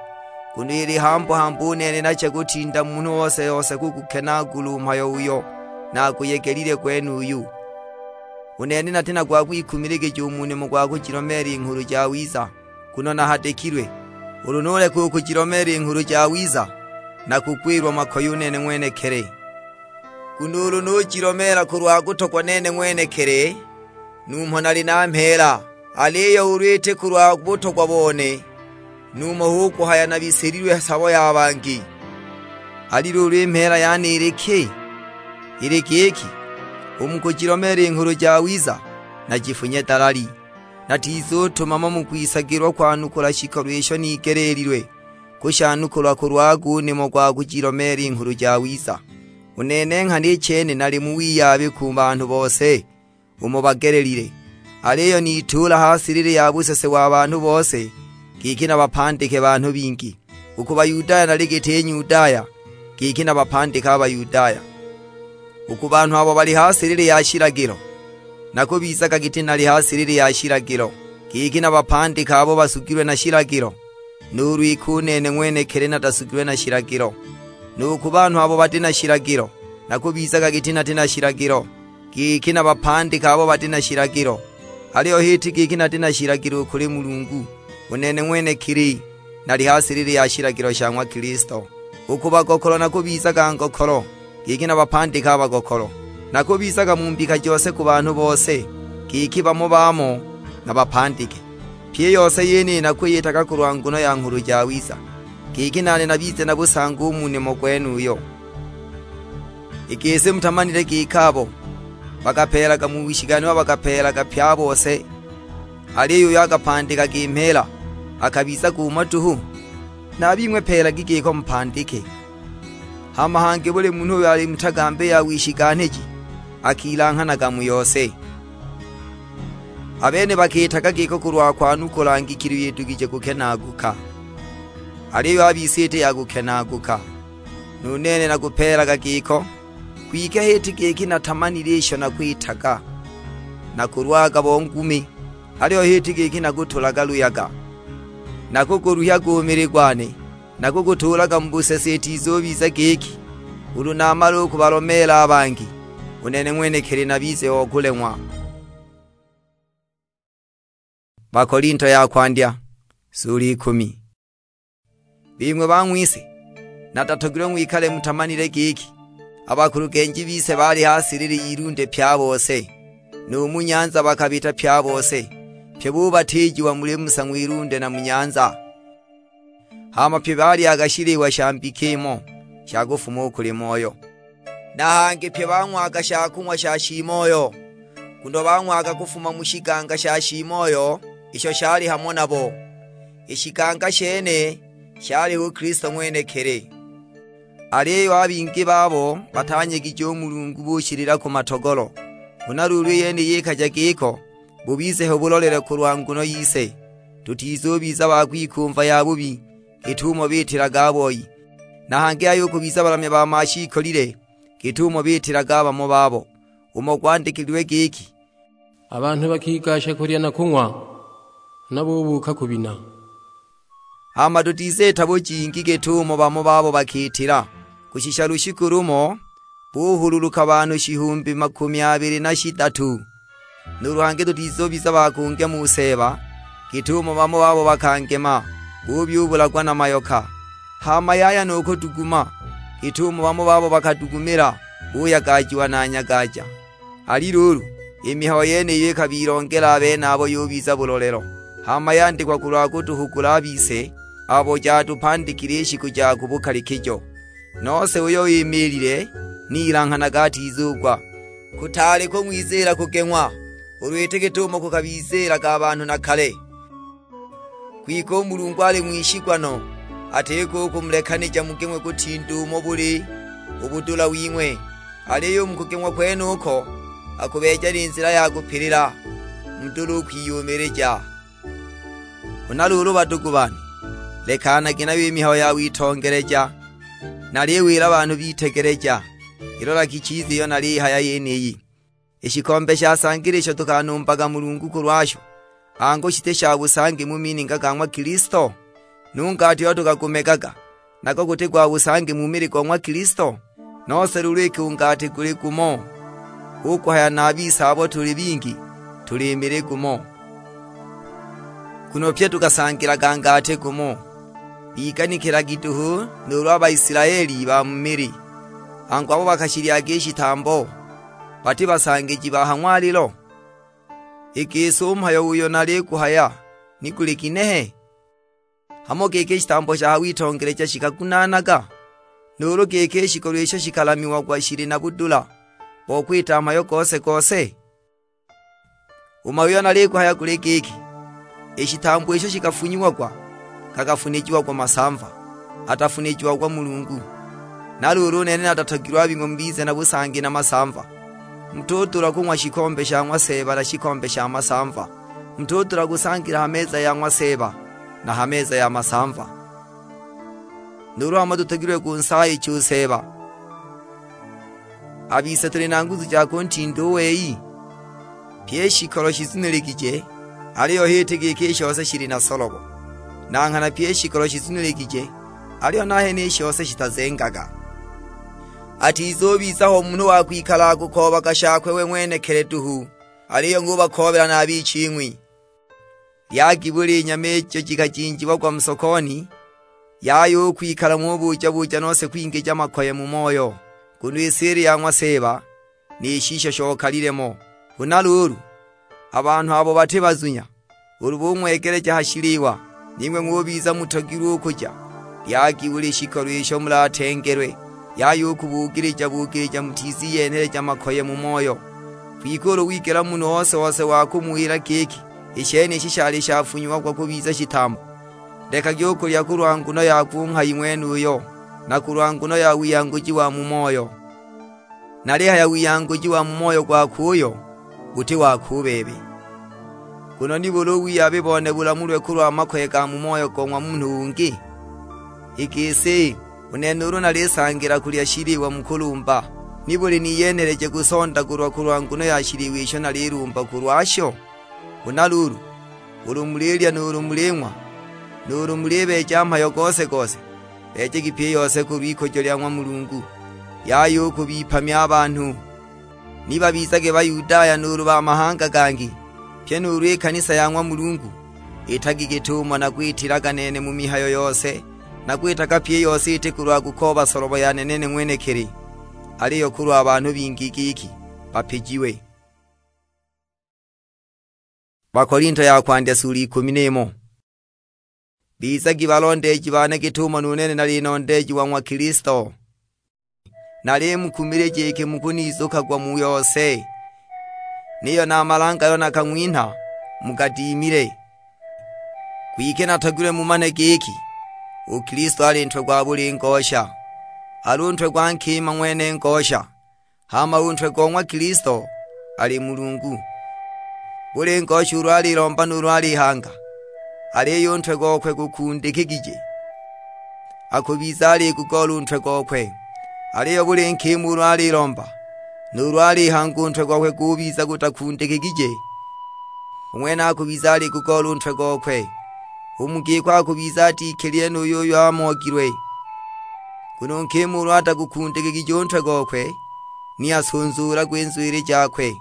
nguno ili hambu-hambu u nene nacha kutinda munhu ose-ose kugukenaagula u mhayo uyo naguyegelile gwenuyu. U nene nati na gwa kwikumiligija u mu nimo gwa kujilomeela i Nghulu Jawiza, nguno nahadikilwe. Ulu nuleka u kujilomeela i Nghulu Jawiza, nakugwilwa makoye u nene ng'wenekili. Nguno ulu nujilomeela kulwa kutogwa nene ng'wenekili, numho nali na mheela, aliyo ulu iti kulwa butogwa bone, numho hu kuhaya nabisililwe sabo ya bangi. Ali luulu i mheela yane ili ki? Ili giki, u mu kujilomeela i Nghulu Jawiza, najifunye dalali. Natizutumama mu kwisagilwa kwanukula shikolo isho nigeleelilwe kushanukula kulwago u nimo gwa kujilomeela i Nghulu Jawiza. U nene nghana i chene nali mu wiyabi ku banhu bose umo bagelelile, aliyo nituula ha silili ya busese wa banhu bose, giki nabapandike banhu bingi. U ku Bayudaya nali giti Nyudaya, giki nabapandike a Bayudaya. U ku banhu abo bali ha silili ya shilagilo, nakubizaga giti nali ha silili ya shilagilo, giki nabapandike abo basugilwe na shilagilo, nuulu iki u nene ng'wenekili natasugilwe na shilagilo. Nu ku banhu abo bati na shilagilo, nakubizaga giti nati na shilagilo, giki nabapandike abo bati na shilagilo. Aliyo h'iti giki nati na shilagilo u kuli Mulungu, u nene ng'wenekili nali ha silili ya shilagilo sha ng'wa Kilisto. U ku bagokolo nakubizaga ngokolo, giki nabapandike a bagokolo. Nakubizaga mu mbika jose ku banhu bose, giki bamo bamo nabapandike. Pyi i yose yeniyi nakwiyitaga kulwa nguno ya Nghulu Jawiza, giki nane nabize na busangi u mu nimo gwenuyo. I gisi mutamanile giki abo bakapeelaga mu wishiganwa bakapeelaga pye a bose, aliyo uyo akapandikaga i mheela akabizaga umo duhu? Na a bing'we peelagi giko mupandike. Hama hangi buli munhu uyo ali mu tagambi ya wishiganhiji akilanghanaga mu yose. A bene bakiitaga giko kulwa kwanukula ngikilo iyo idugije kukenaaguka, aliyo a bise iti ya kukenaaguka. Nu nene nakupeelaga giko, kwike h'iti giki natamanile isho nakwitaga. Nakulwaga bo ngumi, aliyo h'iti giki nakutulaga luyaga. Nakuguluhyaga u mili gwane, nakugutuulaga mu busese itizubiza giki, ulu namala u kubalomeela a bangi, u nene ng'wenekili nabize o kuleng'wa. Bakolinto ya kwandya, sula ikumi. Bing'we bang'wise, natatogilwe ng'wikale mutamanile giki, a bakulugenji bise baali ha silili y'ilunde pye a bose, nu mu nyanza bakabita pye a bose, pye bubatiijiwa muli Musa ng'wilunde na mu nyanza. Hama pye balyaga shiliwa sha mbika imo sha kufuma u kuli Moyo. Na hangi pye bang'waga sha kung'wa sha shiimoyo, nguno bang'waga kufuma mu shiganga sha shiimoyo isho shali hamo nabo. I shiganga shene shali hu Kilisto ng'wenekili. Aliyo a bingi babo batanyegije u Mulungu bushilila ku matogolo. Huna luulu i yeniyi ikaja giko, bubize ho bulolele kulwa nguno yise, tutizubiza ba kwikumva yabubi, git'umo bitilaga a boi, na hangi ayukubiza balamya ba mashiikolile, git'umo bitilaga a bamo babo. Umo gwandikililwe giki, "A banhu bakigasha kulya na kung'wa, huna bubuuka kubina." Hama tutiziita bujingi git'umo bamo babo bakiitila, kushisha lushiku lumo buhululuka banhu shihumbi makumi abili na shidatu. Nuulu hangi tutizubiza ba kungema u Seeba, git'umo bamo babo bakangema, bubyubulagwa na mayoka. Hama yaya nu kuduguma, git'umo bamo babo bakadugumila, buyagajiwa na nyagaja. Ali luulu, i mihayo yeniyo ikabilongela a benabo yubiza bulolelo, hama yandikwa kulwa kutuhugula a bise abo jatupandikile i shiku ja ku bukalikijo. Nose uyo imiilile, ni ilanghanaga atizugwa. Kutaali kung'wiziila kugeng'wa, ulu iti git'umo kukabiziilaga a banhu na kale. Kwike u Mulungu ali ng'wishigwa no, atiko u kumulekanija mugeng'we kutinda umo buli u budula wing'we, aliyo u mu kugeng'wa kwenuko akubeeja ni nzila ya kupilila, mudule u kwiyumilija. Huna luulu badugu bane, lekanagi nayo i mihayo ya witongeleja, naliwila banhu bitegeleja. Ilolagi chiza iyo nalihaya yeniyi. I shikombe sha sangila isho tukanumbaga Mulungu kulwasho, angu shiti sha busangi mu mininga ga ng'wa Kilisto? Nu ngati uyo tukagumegaga, nago guti gwa busangi mu mili go ng'wa Kilisto? Nose luulu iki u ngati guli gumo, hu kuhaya na a bise abo tuli bingi, tuli mili gumo. Nguno pye tukasangilaga ngati gumo. Biganikilagi duhu nuulu a Baisilaeli ba mu mili, angu abo bakashilyaga i shitambo, bati basangiji ba ha ng'walilo? I gisi u mhayo uyo naliguhaya ni guli ginehe? Hamo giki i shitambo sha ha witongeleja shikagunaanaga? Nuulu giki i shikolo isho shikalamiagwa shili na budula bo kwita mhayo gose-gose? U mhayo uyo naliguhaya guli giki, i shitambo isho shikafunyiagwa, gakafunijiagwa masamva, atafunijiagwa Mulungu. Na luulu u nene natatogilwe a bing'we mubize na busangi na masamva. Mutudula kung'wa shikombe sha ng'wa Seeba na shikombe sha masamva, mutudula kusangila ha meza ya ng'wa Seeba na ha meza ya masamva. Nuulu hamo tutogilwe kunsaayicha u Seeba? A bise tuli na nguzu ja kuntinda u wei? Pyi i shikolo shizuniligije, aliyo h'iti giki i shose shili na solobo. Na nghana pyi i shikolo shizuniligije, aliyo nahene i shose shitazengaga. Atizubiza ho munhu wa kwikala akukoobaga shakwe we ng'wenekili duhu, aliyo ng'ubakoobela na a biching'wi. Lyagi buli nyama ijo jikajinjiagwa mu sokoni, yaya u kwikala ng'ubuja-buja nose kwingija makoye mu moyo, nguno i si ili ya ng'wa Seeba, ni shisho shokalile mo. Huna luulu, a banhu abo bati bazunya, ulu bung'wegeleja ha shiliwa, ning'we ng'ubiza mutogilwe u kuja. Lyagi buli shikolo isho mulatengelwe, yaya u kubugilija-bugilija mutiziyenheleja makoye mu moyo. Kwike ulu wigela munhu ose-ose wa kumuwila giki, "I shenishi shali shafunyiagwa kubiza shitambo," lekagi u kulya kulwa nguno ya ku nghayi ng'wenuyo, na kulwa nguno ya wiyanguji wa mu moyo. Nalihaya wiyanguji wa mu moyo gwakwe uyo, guti wakwe u bebe. Nguno nibuli u wiyabi bone bulamulwe kulwa makoye ga mu moyo go ng'wa munhu ungi? I gisi, u nene ulu nalisangila kulya shiliwa mu kulumba, nibuli niyenheleje kusondagulwa kulwa nguno ya shiliwa isho nalilumba kulwasho? Huna luulu, ulu mulilya nuulu muling'wa, nuulu mulibeeja mhayo gose-gose, beejagi pyi i yose kulw'ikujo lya ng'wa Mulungu, yaya u kubipamya a banhu. Ni babizage Bayudaya nuulu ba mahanga gangi, pyi nuulu i kanisa ya ng'wa Mulungu, itagi git'umo nakwitilaga nene mu mihayo yose, nakwitaga pyi i yose iti kulwa kukooba solobo yane nene ng'wenekili, aliyo kulwa banhu bingi giki bapijiwe. Bakolinto ya kwandya sula ikumi n'imo. Bizagi balondeeji bane git'umo nu nene nali nondeeji wa ng'wa Kilisto. Nalimukumilija iki mukunizukagwa mu yose, niyo na a malanga ayo nakang'winha mugadiimile. Kwike natogilwe mumane giki, u Kilisto ali ntwe gwa buli ngosha, ali u ntwe gwa nkima ng'wene ngosha, hama u ntwe go ng'wa Kilisto ali Mulungu. Buli ngosha ulu alilomba nuulu alihanga, aliyo u ntwe gokwe gukundikigije, akubiza aligugoola u ntwe gokwe. Aliyo buli nkima ulu alilomba, nuulu alihanga u ntwe gokwe gubiza gutakundikigije, u ng'wene akubiza aligugoola u ntwe gokwe. U mu giko akubiza atikilile nu yuyo amogilwe. Nguno u nkima ulu atagukundikigije u ntwe gokwe, ni asunzuulagwe i nzwili jakwe.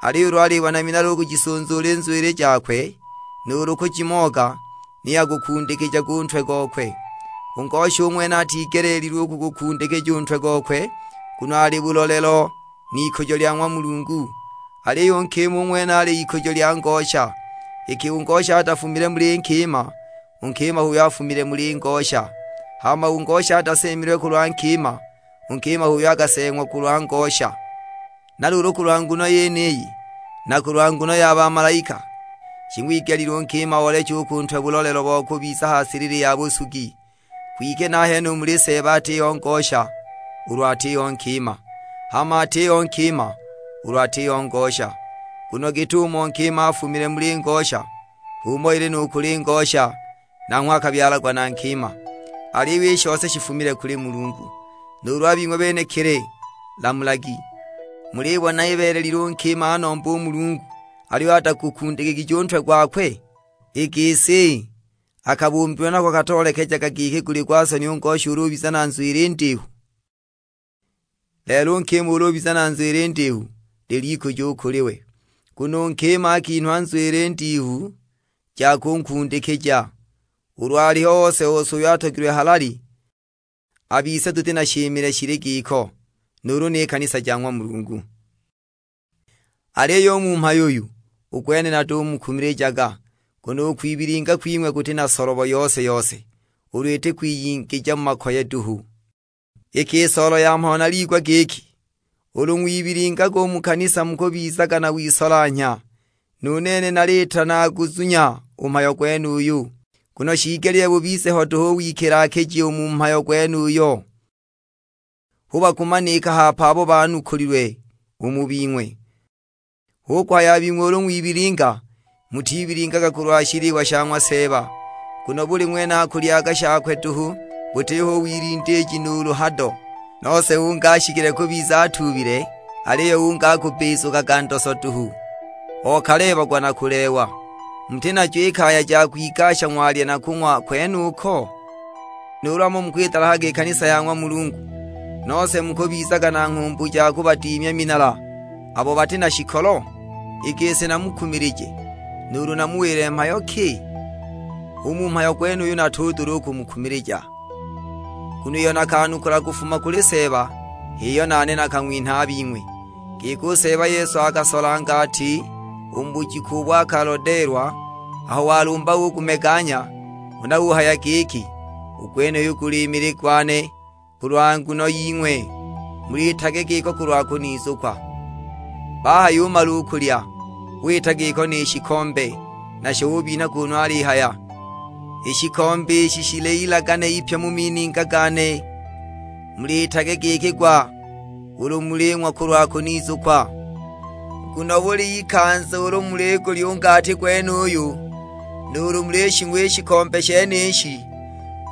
Aliyo ulu alibona minala u kujisunzuula i nzwili jakwe, nuulu kujimoga, ni agukundikijaga u ntwe gokwe. U ngosha u ng'wene atigeleelilwe u kugukundikija u ntwe gokwe, nguno ali bulolelo n'ikujo lya ng'wa Mulungu. Aliyo u nkima u ng'wene ali ikujo lya ngosha. Iki u ngosha atafumile muli nkima, u nkima h'uyo afumile muli ngosha. Hama u ngosha ataseemilwe kulwa nkima, u nkima h'uyo akaseeng'wa kulwa ngosha. Na luulu kulwa nguno yeniyi, na kulwa nguno ya bamalaika, shing'wigelile u nkima ooleche u ku ntwe bulolelo bo kubiza ha silili ya busugi. Kwike nahene u muli Seeba atiho ngosha, ulu atiho nkima, hama atiho nkima, ulu atiho ngosha. Nguno git'umo nkima afumile muli ngosha, h'umo ili nu kuli ngosha, nanghwe akabyalagwa na nkima. Aliyo i shose shifumile kuli Mulungu. Nuulu a bing'we benekili, lamulagi. Mulibona ibeelelile u nkima anomba u Mulungu, aliyo atagukundikigije u ntwe gwakwe? I gisi, akabumbilwe nako katoolekejaga giki guli gwa soni u ngosha ulu ubiza na nzwili ndihu? Lelo u nkima ulu ubiza na nzwili ndihu, lil'ikujo u kuli we, nguno u nkima akinhwa nzwili ndihu ja kunkundikija. Ulu aliho ose-ose uyo atogilwe halali, a bise tuti na shimile shili giko, nuulu ni kanisa ja ng'wa Mulungu. Aliyo u mu mhayo uyu, u gwene natumukumilijaga, nguno u kwibilinga kwing'we kuti na solobo yose-yose, ulu iti kwiyingija mu makoye duhu. Iki i soolo ya mhayo naliigwa giki, ulu ng'wibilingaga u mu kanisa mukubizaga na wisolanhya, nu nene nalitanaaguzunya u mhayo gwenuyu. Nguno shiigelile bubize ho duhu u wikilaakiji u mu mhayo gwenuyo, hu bakumanika hape abo banukulilwe u mu bing'we. Hu kuhaya a bing'we ulu ng'wibilinga, mutibilingaga kulwa shiliwa sha ng'wa Seeba, nguno buli ng'wene akulyaga shakwe duhu, butiho u wilindiiji nuulu hado. Nose ungi ashikile kubiza atuubile, aliyo ungi akubizukaga ndoso duhu, okaleebagwa na kuleewa. Muti najo i kaya ja kwigasha ng'walya na kung'wa kwenuko? Nuulu hamo mukwidalahaga i kanisa ya ng'wa Mulungu, nose mukubizaga na nghumbu ja kubadiimya minala abo bati na shikolo? I gisi namukumilije, nuulu namuwile mhayo ki? U mu mhayo gwenuyu natudula u kumukumilija, nguno iyo nakanukula kufuma kuli Seeba, h'iyo nane nakang'winha a bing'we. Giki u Seeba Yesu akasolanga ati, u mu bujiku ubo akalodeelwa, aho walumba ugumeganya, huna uhaya giki, "U gwenuyu guli mili gwane, kulwa nguno ying'we, muliitage giko kulwa kunizukwa." Bahayumala u kulya, wita giko ni shikombe, nasho ubinha kunu alihaya, "I shikombe ishi shili ilagane ipya mu mininga gane, muliitage giki gwa ulu muling'wa kulwa kunizukwa. Nguno buli ikanza ulu muligulya u ngati gwenuyu, nuulu mulishing'wa i shikombe shenishi,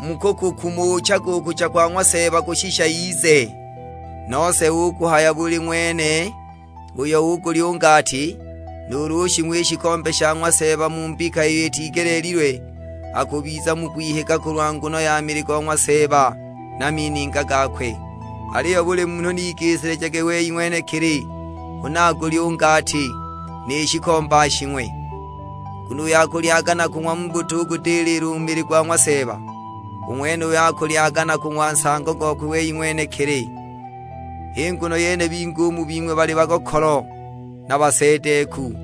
mukukukumuchaga u kucha kwa ng'wa Seeba kushisha ize." Nose u kuhaya buli ng'wene uyo ugulya u ngati, nuulu ushing'wa i shikombe sha ng'wa Seeba mu mbika iyo itigeleelilwe, akubiza mu kwihiga kulwa nguno ya mili go ng'wa Seeba na mininga gakwe. Aliyo buli munhu nigisilijage wei ng'wenekili, huna agulye u ngati, ni shikombe ashing'we. Nguno uyo akulyaga na kung'wa mu butugudilila u mili gwa ng'wa Seeba, u ng'wenuyo akulyaga na kung'wa nsango gokwe wei ng'wenekili. H'i nguno yene bingi u mu bing'we bali bagokolo, na baseedeeku,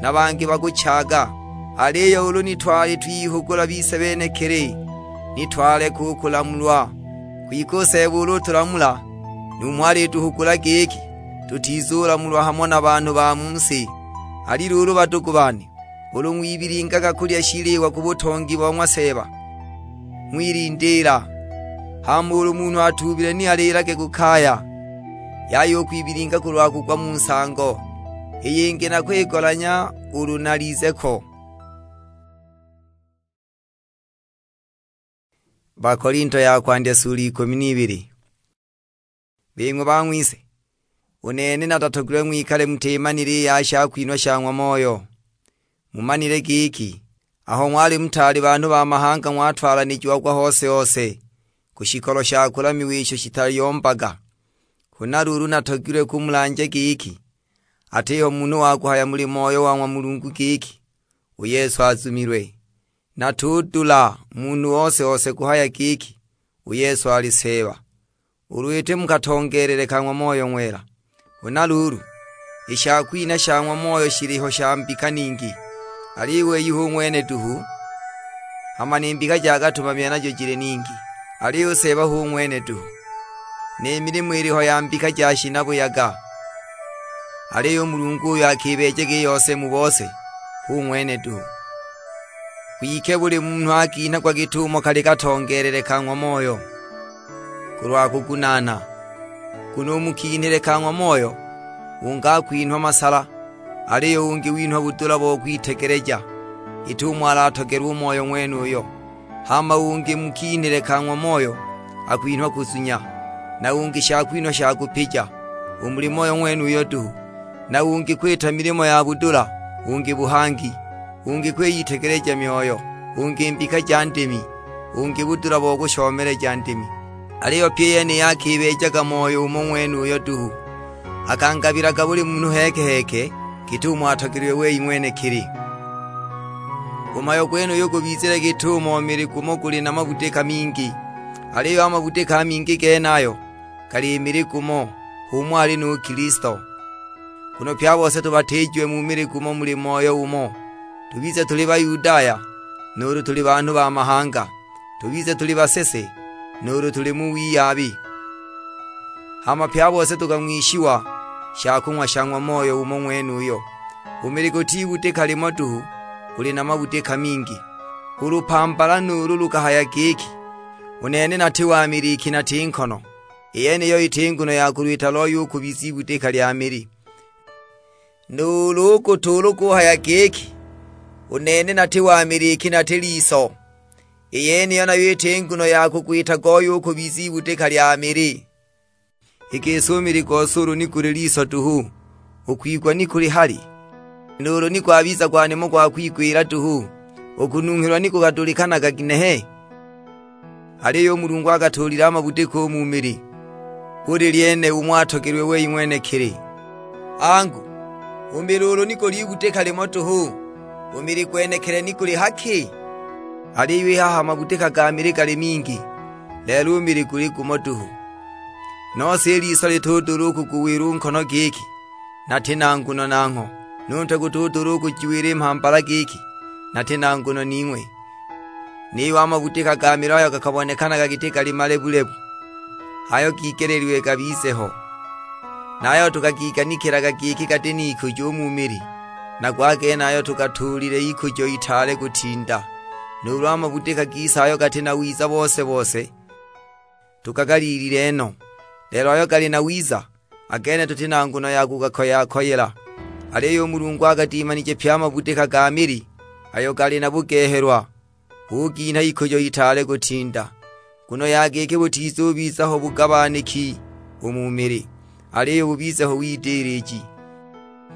na bangi bakuchaaga. Aliyo ulu ni twali twihugula bise benekili, ni twaleka u kulamulwa. Kwike u Seeba ulu utulamula, numho alituhugula giki tutizulamulwa hamo na banhu ba mu si. Ali luulu, badugu bane, ulu ng'wibilingaga kulya shiliwa ku butongi bo ng'wa Seeba, ng'wilindiila. Hama ulu munhu atuubile ni aliilage ku kaya, yaya u kwibilinga kulwa kugwa mu nsango, i yingi na kwigolanya ulu nalize ko. Bakolinto ya kwandya sula ikumi n'ibili. Bing'we bang'wise, u nene natatogilwe ng'wikale mutimanile i ya shakwinhwa sha ng'wa Moyo. Mumanile giki, Aho ng'wali mutaali banhu ba mahanga ng'watwalanijiagwa hose-hose ku shikolo sha kulamiwa isho shitayombaga. Huna luulu natogilwe kumulanja giki, atiho munhu wa kuhaya muli Moyo wa ng'wa Mulungu giki, "U Yesu azumilwe." Natudula munhu ose-ose kuhaya giki, "U Yesu ali Seeba," ulu iti mu katongeelele ka ng'wa Moyo Ng'wela. Huna luulu, i shakwinha sha ng'wa Moyo shiliho sha mbika ningi, aliyo u wei hu ng'wene duhu, hama ni mbika ja katumamile najo jili ningi, aliyo u Seeba hu ng'wene duhu. Ni milimo iliho ya mbika ja shinabuyaga, aliyo u Mulungu uyo akibeejaga i yose mu bose, hu ng'wene duhu. Kwike buli munhu akinhagwa git'umo kali katongeelele ka ng'wa Moyo, kulwa kugunaana. Nguno u mu kinhile ka ng'wa Moyo, ungi akwinhwa masala, aliyo ungi winhwa budula bo kwitegeleja, git'umo alatogelwa u Moyo ng'wenuyo. Hama ungi mu kinhile ka ng'wa Moyo akwinhwa kuzunya, na ungi shakwinhwa sha kupija, u muli Moyo ng'wenuyo duhu, na ungi kwita milimo ya budula, ungi buhangi, ungi kwiyitegeleja myoyo, ungi mbika ja ndimi, ungi budula bo kushomeleja ndimi. Aliyo pyi i yeniyi akibeejaga Moyo umo ng'wenuyo duhu, akangabilaga buli munhu heke-heke git'umo atogilwe wei ng'wenekili. U mhayo gwenuyu gubizile git'umo mili gumo guli na mabudika mingi, aliyo a mabudika a mingi genayo gali mili gumo, h'umo ali nu Kilisto. Nguno pye a bose tubatiijiwe mu mili gumo muli Moyo umo, tubize tuli Bayudaya, nuulu tuli banhu ba mahanga, tubize tuli basese, nuulu tuli mu wiyabi. Hama pye a bose tukang'wishiwa shakung'wa sha ng'wa Moyo umo ng'wenuyo. U mili guti ibudika limo duhu, guli na mabudika mingi. U lupambala nuulu lukahaya giki, "U nene nati wa mili iki nati nkono," i yeniyo iti nguno ya kulwita loi u kubiza ibudika lya mili. Nuulu u kutuula ukuhaya giki, "U nene nati wa mili iki nati liso," i yeniyo nayo iti nguno ya kugwita goi u kubiza ibudika lya mili. I gisi u mili gose ulu ni guli liso duhu, u kwigwa ni kuli hali? Nuulu ni gwabiza gwa nimo gwa kwigwila duhu, u kununghilwa ni gukadulikanaga ginehe? Aliyo u Mulungu akatuulile a mabudika u mu mili, buli lyene umo atogelwe wei ng'wenekili. Angu, u mili ulu ni guli ibudika limo duhu, u mili gwenekili ni guli haki? Aliyo i haha a mabudika ga mili gali mingi, lelo u mili guli gumo duhu. Nose i liso litudula u kuguwila u nkono giki, "Nati na nguno nangho," nu ntwe gutudula u kujiwila i mhambala giki, "Nati na nguno ning'we." Niyo a mabudika ga mili ayo gakabonekanaga giti gali malebu-lebu, h'ayo gigeleelilwe gabize ho, na ayo tugagiganikilaga giki gati n'ikujo u mu mili, nago a genayo tugatuulile ikujo itaale kutinda. Nuulu a mabudika gise ayo gati na wiza bose-bose, tugagaliilile no, lelo ayo gali na wiza, a gene tuti na nguno ya kugakoya-koyela. Aliyo u Mulungu agadimanije pye a mabudika ga mili ayo gali na bugehelwa, uginha ikujo itaale kutinda. Nguno ya giki butizubiza ho bugabaniki u mu mili, aliyo bubize ho widiliji.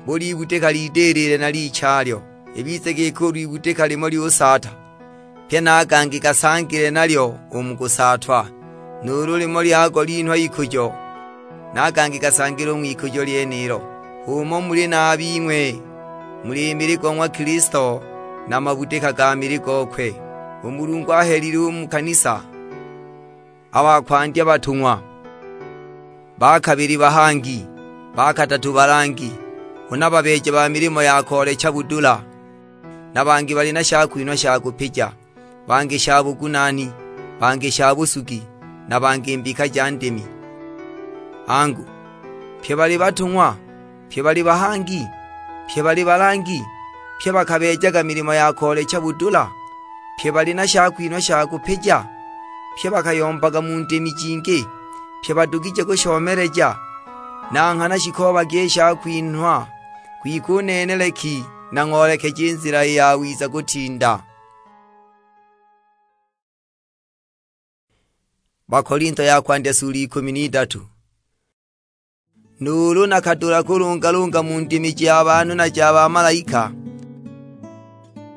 Buli ibudika lidilile na lichalyo, ibize giki ulu ibudika limo lyusaata, pye na a gangi gasangile nalyo u mu kusaatwa. Nuulu limo lyago linhwa ikujo, na a gangi gasangile u ng'wikujo lyenilo. H'umo muli na a bing'we, muli mili go ng'wa Kilisto, na mabudika ga mili gokwe. U Mulungu ahelile u mu kanisa a ba kwandya batung'wa, ba kabili bahangi, ba kadatu balangi, huna babeeja ba milimo ya koolecha budula, na bangi bali na shakwinhwa sha kupija, bangi sha bugunaani, bangi sha busugi, na bangi mbika ja ndimi. Angu, pye bali batung'wa? Pye bali bahangi? Pye bali balangi? Pye bakabeejaga milimo ya koolecha budula? Pye bali na shakwinhwa sha kupija? Pye bakayombaga mu ndimi jingi? Pye badugije kushomeleja? Na nghana shikoobagi i shakwinhwa, kwike u nene leki nang'oolekeje i nzila i yawiza kutinda. Bakolinto ya kwandya sula ikumi n'idatu. Nuulu nakadula kulungalunga mu ndimi ja banhu na ja bamalaika,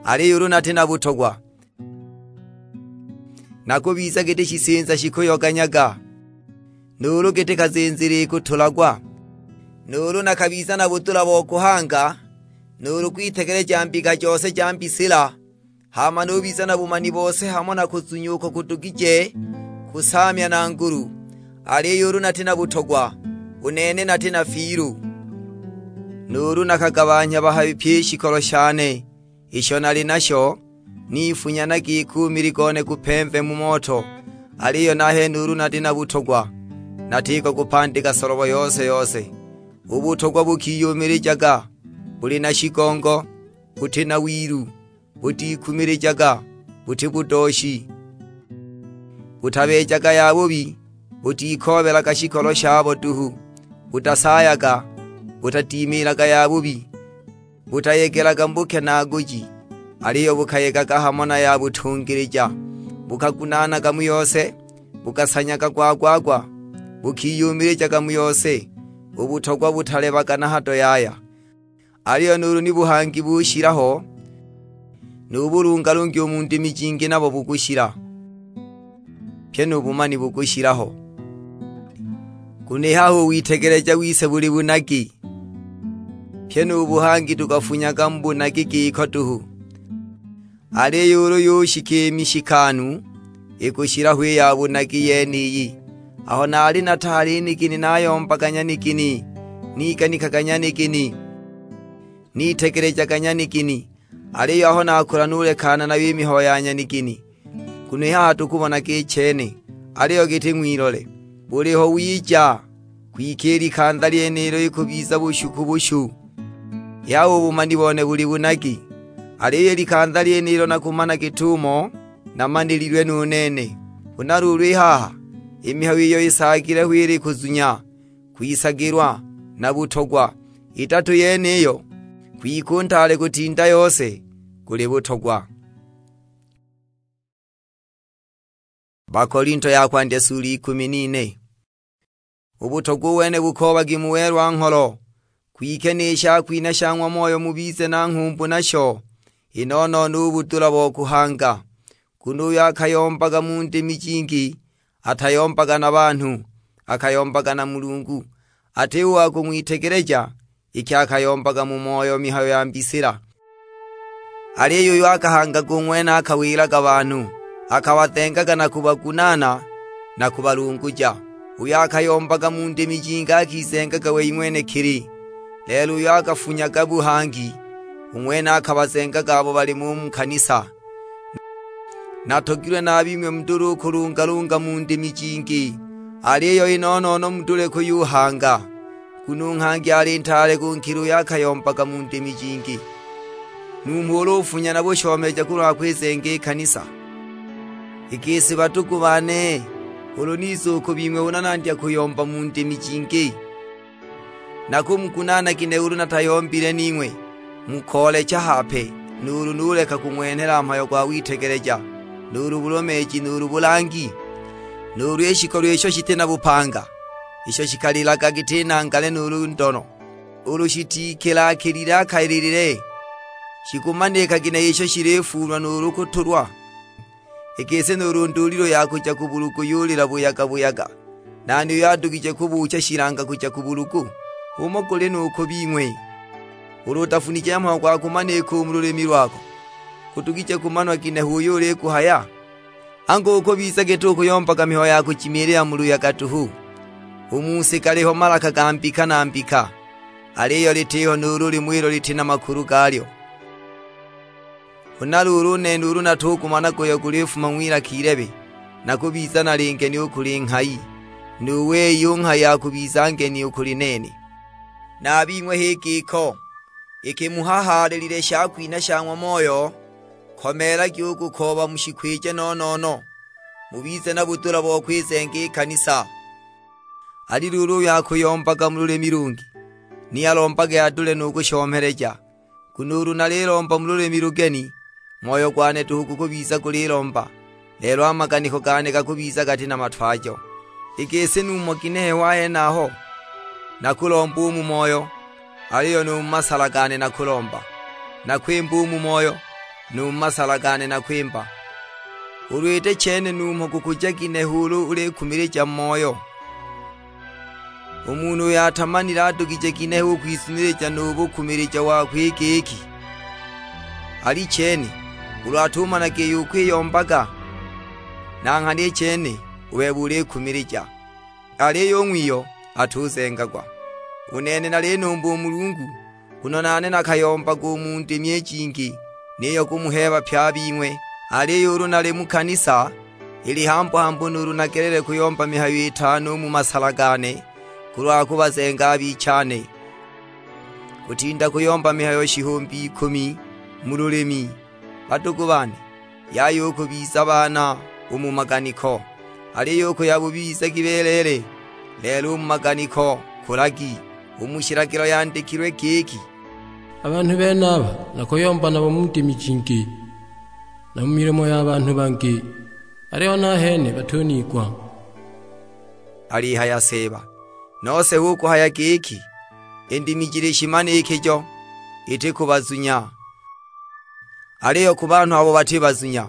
Aliyo ulu nati na butogwa, nakubiza giti shisinza shikuyoganyaga, nuulu giti kazinzili ikutulagwa, nuulu nakabiza na budula bo kuhanga, nuulu kwitegeleja mbika jose ja mbisila, hama nubiza na bumani bose hamo na kuzunya uko kudugije kusaamya na ngulu, aliyo ulu nati na butogwa, u nene nati na fiilu. Nuulu nakagabanhya bahabi pyi i shikolo shane isho nali nasho, nifunya na giki u mili gone gupemve mu moto, aliyo nahene ulu nati na butogwa, natiko kupandika solobo yose-yose. U butogwa bukiyumilijaga, buli na shigongo, buti na wilu, butikumilijaga, buti budooshi, butabeejaga yabubi, butikoobelaga shikolo shabo duhu, butasaayaga, butadimiilaga yabubi, butayegelaga mu bukenaaguji, aliyo bukayegaga hamo na ya butungilija, bukagunaanaga mu yose, bukasanyaga gwa-gwa-gwa, bukiyumilijaga mu yose. U butogwa butalebaga na hado yaya. Aliyo nuulu ni buhangi bushila ho, nu bulungalungi u mu ndimi jingi nabo bukushila, pyi nu bumani bukushila ho. Nguno i haha u witegeleja wise buli bunagi, pyi nu buhangi tukafunyaga mu bunagi giko duhu. Aliyo ulu yushika i mishikanu, ikushila ho i ya bunagi yeniyi. Aho naali nataali i nigini nayombaga nyanigini, niganikaga nyanigini, nitegelejaga nyanigini, aliyo aho nakula nulekana nayo i mihayo ya nyanigini. Nguno i haha tukubonaga i chene, aliyo giti ng'wilole, buliho wija, kwike i likanza lyenilo ikubiza bushu ku bushu. Yaya u bumani bone buli bunagi, aliyo i likanza lyenilo nakumana git'umo namanililwe nu nene. Huna luulu i haha, i mihayo iyo isaagile ho ili kuzunya, kwisagilwa, na butogwa. Idatu yeniyo, kwike u ntaale kutinda yose guli butogwa. Bakolinto ya kwandya sula ikumi n'ine. U butogwa u wene bukoobagi mu welwa-ngholo, kwike ni shakwinha sha ng'wa Moyo mubize na nghumbu nasho, i no-no-no u budula bo kuhanga. Nguno uyo akayombaga mu ndimi jingi, atayombaga na banhu, akayombaga na Mulungu. Ati u wa kung'witegeleja, iki akayombaga mu moyo mihayo ya mbisila. Aliyo uyo akahangaga u ng'wene akawilaga banhu, akabazengaga na kubagunaana na kubalunguja. Uyo akayombaga mu ndimi jingi akizengaga wei ng'wenekili, lelo uyo akafunyaga buhangi, u ng'wene akabazengaga abo bali mo u mu kanisa. Natogilwe na a bing'we mudule u kulungalunga mu ndimi jingi, aliyo i no-no-no mudule kuyuhanga, nguno u nghangi ali ntaale kunkila uyo akayombaga mu ndimi jingi. Numho ulu ufunya na bushomeleja kulwa kwizenga i kanisa. I gisi badugu bane, ulu niza u ku bing'we huna nandya kuyomba mu ndimi jingi, nakumugunaana ginehe ulu natayombile ning'we, mukoolecha hape, nuulu nuleka kung'wenhela mhayo gwa witegeleja, nuulu bulomeeji, nuulu bulangi, nuulu i shikolo isho shiti na bupanga, isho shikalilaga giti nangale nuulu ndono, ulu shitikilakilile akalilile, shikumanika ginehe isho shilifuulwa nuulu kutulwa? I gisi nuulu ndulilo ya kuja ku bulugu yulila buyaga-buyaga, nani uyo adugije kubuucha shilanga kuja ku bulugu? Umo guli nu ku bing'we, ulu utafunije mhayo gwa kumanika u mu lulimi lwako, gudugije kumanwa ginehe uyo uliguhaya? Angu ukubiza giti ukuyombaga mihayo ya kujimiilila mu luyaga duhu? U mu si galiho malaka ga mbika na mbika, aliyo litiho nuulu limu ilo liti na makulu galyo. Huna luulu u nene ulu natugumanaga uyo gulifuma ng'wilaka ilebe, nakubiza nali ngeni u kuli nghayi, nu wei u nghayi akubiza ngeni u kuli nene. Na a bing'we h'i giko, iki muhahaalilile shakwinha sha ng'wa Moyo, komeelagi u kukooba mushikwije no-no-no, mubize na budula bo kwizenga i kanisa. Ali luulu uyo akuyombaga mu lulimi lungi, ni alombage adule nu kushomeleja. Nguno ulu nalilomba mu lulimi lugeni, moyo gwane duhu gukubiza gulilomba, lelo a maganiko gane gakubiza gati na matwajo. I gisi numho ginehe wa henaho? Nakulomba u mu moyo, aliyo nu mu masala gane nakulomba. Nakwimba u mu moyo, nu mu masala gane nakwimba. Ulu iti chene numho kukuja ginehe ulu ulikumilija mu moyo? U munhu uyo atamanile adugije ginehe u kwizunilija nu bukumilija wakwe i giki, alichene, ulu atumanaga iyo ukwiyombaga? Na nghana i chene u bebe ulikumilija, aliyo u ng'wiyo atuzengagwa. U nene nalinumba u Mulungu, nguno nane nakayombaga u mu ndimi i jingi, niyo kumuheeba pye a bing'we. Aliyo ulu nali mu kanisa, ili hambu-hambu nuulu nagelele kuyomba mihayo itano u mu masala gane, kulwa kubazenga a bichane, kutinda kuyomba mihayo shihumbi ikumi mu lulimi. Badugu bane, yaya u kubiza baana u mu maganiko, aliyo u kuya bubi bizagi beleele, lelo u mu maganiko kulagi. U mu shilagilo yandikilwe giki, "A banhu benaba nakuyomba nabo mu ndimi jingi, na mu milimo ya banhu bangi, aliyo nahene batuniigwa." Alihaya Seeba. Nose hu kuhaya giki, "I ndimi jili shimanikijo, iti kubazunya, aliyo ku banhu abo bati bazunya."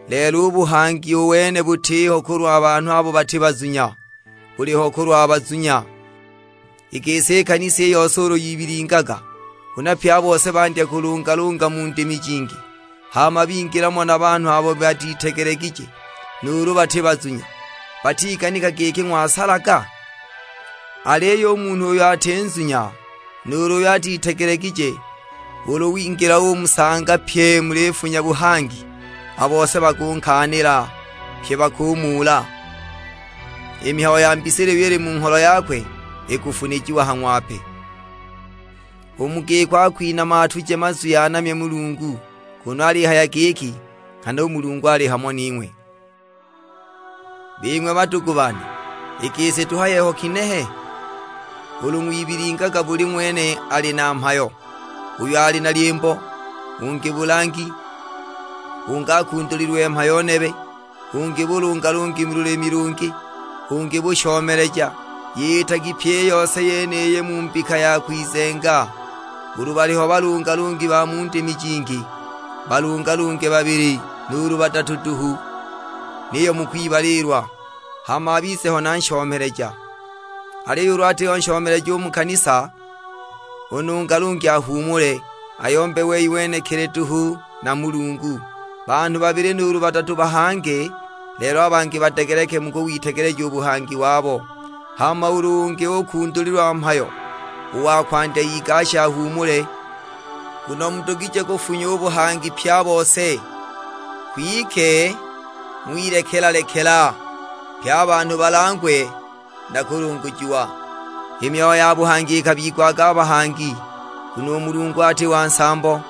Lelo u buhangi u wene butiho kulwa banhu abo bati bazunya, buliho kulwa bazunya. I gisi i kanisa i yose ulu yibilingaga, huna pye a bose bandya kulungalunga mu ndimi jingi, hama bingila mo na banhu abo batitegelegije, nuulu bati bazunya, batiganika giki ng'wasalaga? Aliyo u munhu uyo ati nzunya, nuulu uyo atitegelegije, ulu wingila umusanga pye mulifunya buhangi, a bose bakunkaanila, pye bakumuula. I mihayo ya mbisila iyo ili mu ngholo yakwe ikufunijiwa ha ng'wape. U mu giko akwinama atuje mazwi anamye Mulungu, kunu alihaya giki, "Nghana u Mulungu ali hamo ning'we." Bing'we badugu bane, i gisi tuhaye ho kinehe? Ulu ng'wibilingaga buli ng'wene ali na mhayo, uyo ali na lyimbo, ungi bulangi, ungi akundulilwe mhayo nebe, ungi bulungalungi mu lulimi lungi, ungi bushomeleja. Yitagi pyi i yose yeniyi mu mbika ya kwizenga. Ulu baliho balungalungi ba mu ndimi jingi, balungalunge babili nuulu badatu duhu, niyo mukwibaliilwa, hama abize ho na nshomeleja. Aliyo ulu atiho nshomeleja u mu kanisa, u nungalungi ahuumule, ayombe wei wenekili duhu na Mulungu. Banhu babili nuulu badatu bahange, lelo a bangi badegeleke mu kuwitegeleja u buhangi wabo. Hama ulu ungi ukundulilwa mhayo, u wa kwandya igashe ahuumule, nguno mudugije kufunya u buhangi pye a bose. Kwike ng'wilekela-lekela, pye a banhu balangwe na kulungujiwa. I myoyo ya buhangi ikabigwaga a bahangi, nguno u Mulungu ati wa nsambo,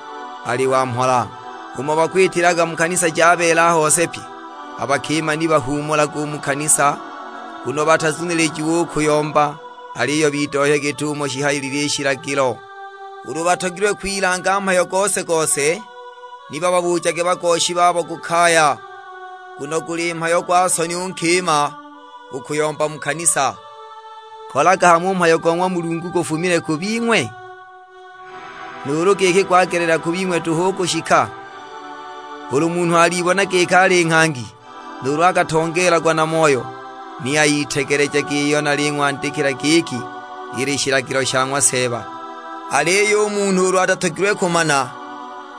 ali wa mhola. Umo bakwitilaga mu kanisa ja beela a hose pye, a bakima ni bahuumulaga u mu kanisa, nguno batazunilijiwe u kuyomba, aliyo bidohye git'umo shihayilile i shilagilo. Ulu batogilwe kwilanga mhayo gose-gose, ni bababuujage bagooshi babo ku kaya, nguno guli mhayo gwa soni u nkima u kuyomba mu kanisa. Kolaga hamo u mhayo go ng'wa Mulungu gufumile ku bing'we? Nuulu giki gwagelela ku bing'we duhu u kushika? Ulu munhu alibona giki ali nghangi, nuulu akatongeelagwa na Moyo, ni ayitegelejage iyo naling'wandikila giki ili shilagilo sha ng'wa Seeba. Aliyo u munhu ulu atatogilwe kumana,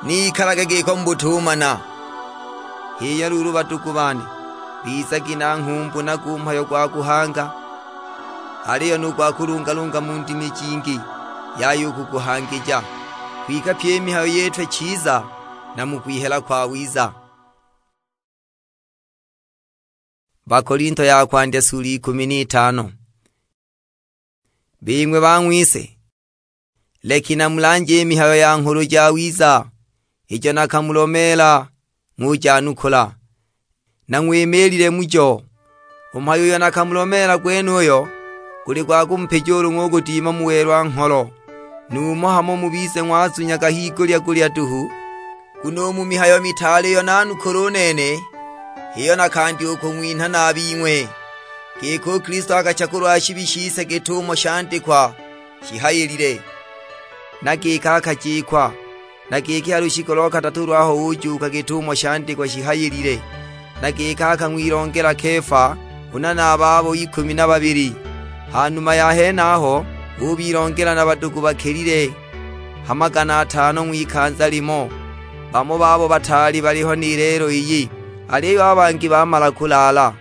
ni ikalage giko mu butumana. H'iyo luulu badugu bane, bizagi na nghumbu na gu mhayo gwa kuhanga, aliyo nu gwa kulungalunga mu ndimi jingi, yaya u kuguhangija. Kwike pyi i mihayo yitwe chiza, na mu kwihela kwawiza. Bakolinto ya kwandya sula ikumi n'itano. Bing'we bang'wise, leki namulanje i mihayo ya Nghulu Jawiza, ijo nakamulomeela ng'ujanukula. Nang'wimiilile mujo. U mhayo uyo nakamulomeela gwenuyo guli gwa kumupija ulu ng'ugudima mu welwa-ngholo, numho hamo mubize ng'wazunyaga higulya-gulya duhu. Nguno u mu mihayo mitaale iyo nanukula u nene, h'iyo nakandya u kung'winha na a bing'we, giki u Kilisto akacha kulwa shibi shise git'umo shandikwa shihayilile, na giki akajikwa, Na giki ha lushiku lo kadatu lwaho ujuuka git'umo shandikwa shihayilile. Na giki akang'wilongela Kefa, huna na a babo ikumi na babili. Ha numa ya henaho ubilongela na badugu bakelile ha magana atano ng'wikanza limo. Bamo babo bataali baliho ni lelo iyi, aliyo a bangi bamala kulaala.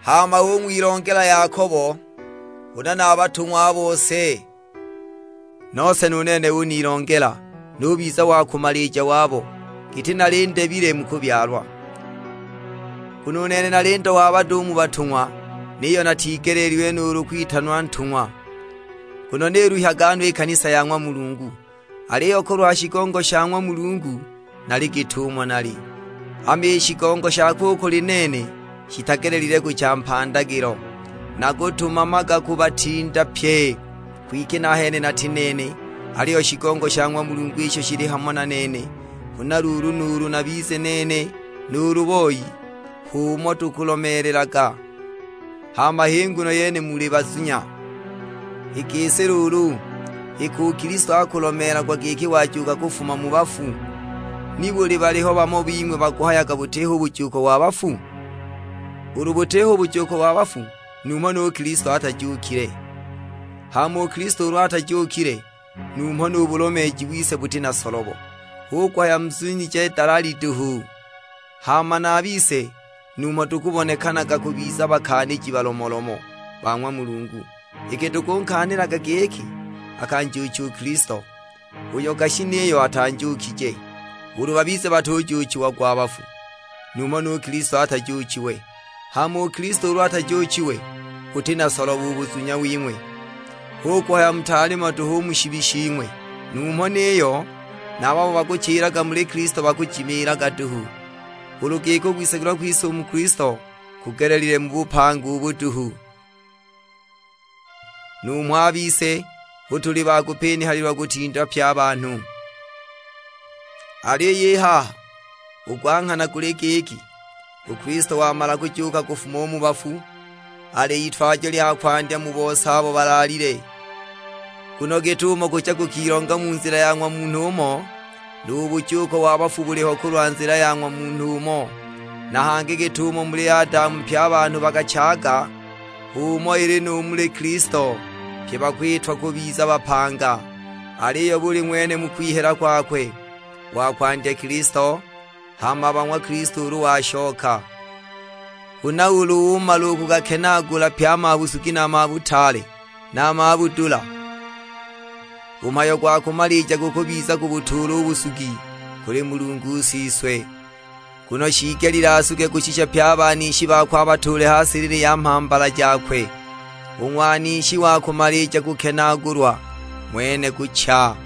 Hama ung'wilongela Yakobo, huna na a batung'wa a bose. Nose nu nene unilongela, nubiza wa kumalija wabo, giti nali ndebile mu kubyalwa. Nguno u nene nali ndo wa bado u mu batung'wa, niyo natigeleelilwe nuulu kwitanwa ntung'wa, nguno niluhyaga no i kanisa ya ng'wa Mulungu. Aliyo kulwa shigongo sha ng'wa Mulungu nali git'umo nali. Hama i shigongo shakwe u kuli nene shitagelelile kucha mpandagilo, nakutumamaga kubatinda pye. Kwike nahene nati nene, aliyo shigongo sha ng'wa Mulungu isho shili hamo na nene. Huna luulu nuulu nabize nene, nuulu boi, h'umo tukulomeelelaga. Hama h'i nguno yene muli bazunya. I gisi luulu, iki u Kilisto akulomeelagwa giki wajuuka kufuma mu bafu, nibuli baliho bamo bing'we bakuhayaga butiho bujuuko wa bafu? Ulu butiho bujuuko wa bafu, numho nu Kilisto atajuukile. Hama u Kilisto ulu atajuukile, numho nu bulomeeji wise buti na solobo, hu kuhaya muzunije dalali duhu. Hama na a bise numho tukubonekanaga kubiza bakaaniji balomolomo ba ng'wa Mulungu, iki tukunkaanilaga giki akanjuucha u Kilisto, uyo gashi niyo atanjuukije. Ulu babize batujuuchiagwa a bafu, numho nu Kilisto atajuuchiwe. Hama u Kilisto ulu atajuuchiwe, guti na solobo u buzunya wing'we, hu kuhaya mutaali mo duhu u mu shibi shing'we. Numho niyo na a babo bakuchilaga muli Kilisto bakujimiilaga duhu, ulu giki u kwisagilwa kwise u mu Kilisto kugelelile mu bupanga ubu duhu. Numho a bise hu tuli ba kupinihalilwa kutinda pye a banhu. Aliyo i haha, u gwa nghana guli giki, u Kilisto wamala kujuuka kufuma u mu bafu, ali itwajo lya kwandya mu bose abo balaalile. Nguno git'umo kucha kukilonga mu nzila ya ng'wa munhu umo, nu bujuuko wa bafu buliho kulwa nzila ya ng'wa munhu umo. Na hangi git'umo muli Adamu pye a banhu bakachaga, h'umo ili nu muli Kilisto, pye bakwitwa kubiza bapanga. Aliyo buli ng'wene mu kwihela kwakwe, wa kwandya Kilisto, hama ba ng'wa Kilisto ulu washoka. Huna ulu umala u kugakenaagula pye a mabusugi na a mabutaale na a mabudula, u mhayo gwa kumalija gukubiza kubutuula u busugi kuli Mulungu u Siswe. Nguno shiigelile asuge kushisha pye a banishi bakwe abatuule ha silili ya mhambala jakwe. U ng'wanishi wa kumalija kukenaagulwa ng'wene kucha.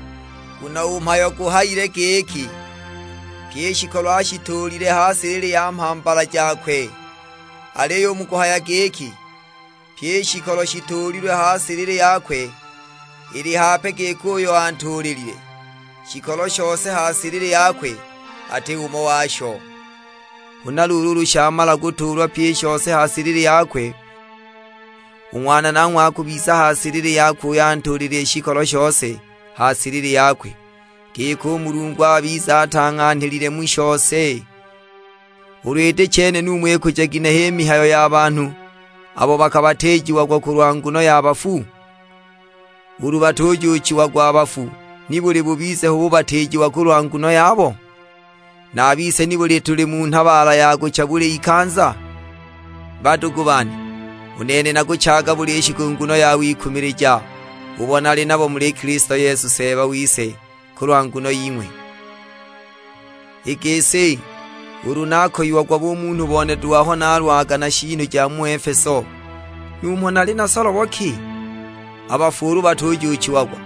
Nguno u mhayo guhayile giki, "Pyi i shikolo ashituulile ha silili ya mhambala jakwe." Aliyo u mu kuhaya giki, "Pyi i shikolo shituulilwe ha silili yakwe," ili hape giki uyo antuulilile, shikolo shose ha silili yakwe ati umo washo. Huna luulu ulu shamala kutuulwa pyi i shose ha silili yakwe, u Ng'wana nanghwe akubiza ha silili yakwe uyo antuulile i shikolo shose ha silili yakwe, giki u Mulungu abize atang'anhilile mu shose. Ulu iti chene, numho ikuja ginehe i mihayo ya banhu abo bakabatiijiagwa kulwa nguno ya bafu? Ulu batujuuchiagwa a bafu, nibuli bubize hu bubatiijiwa kulwa nguno yabo? Na a bise nibuli tuli mu nhabaala ya kucha buli ikanza? Badugu bane, u nene nakuchaga buli shiku nguno ya wikumilija, ubo nali nabo muli Kilisto Yesu Seeba wise, kulwa nguno ying'we. I gisi, ulu nakoyiagwa bumunhu bone duhu aho nalwaga na shiinu ja mu Efeso, numho nali na solobo ki? A bafu ulu batujuuchiagwa,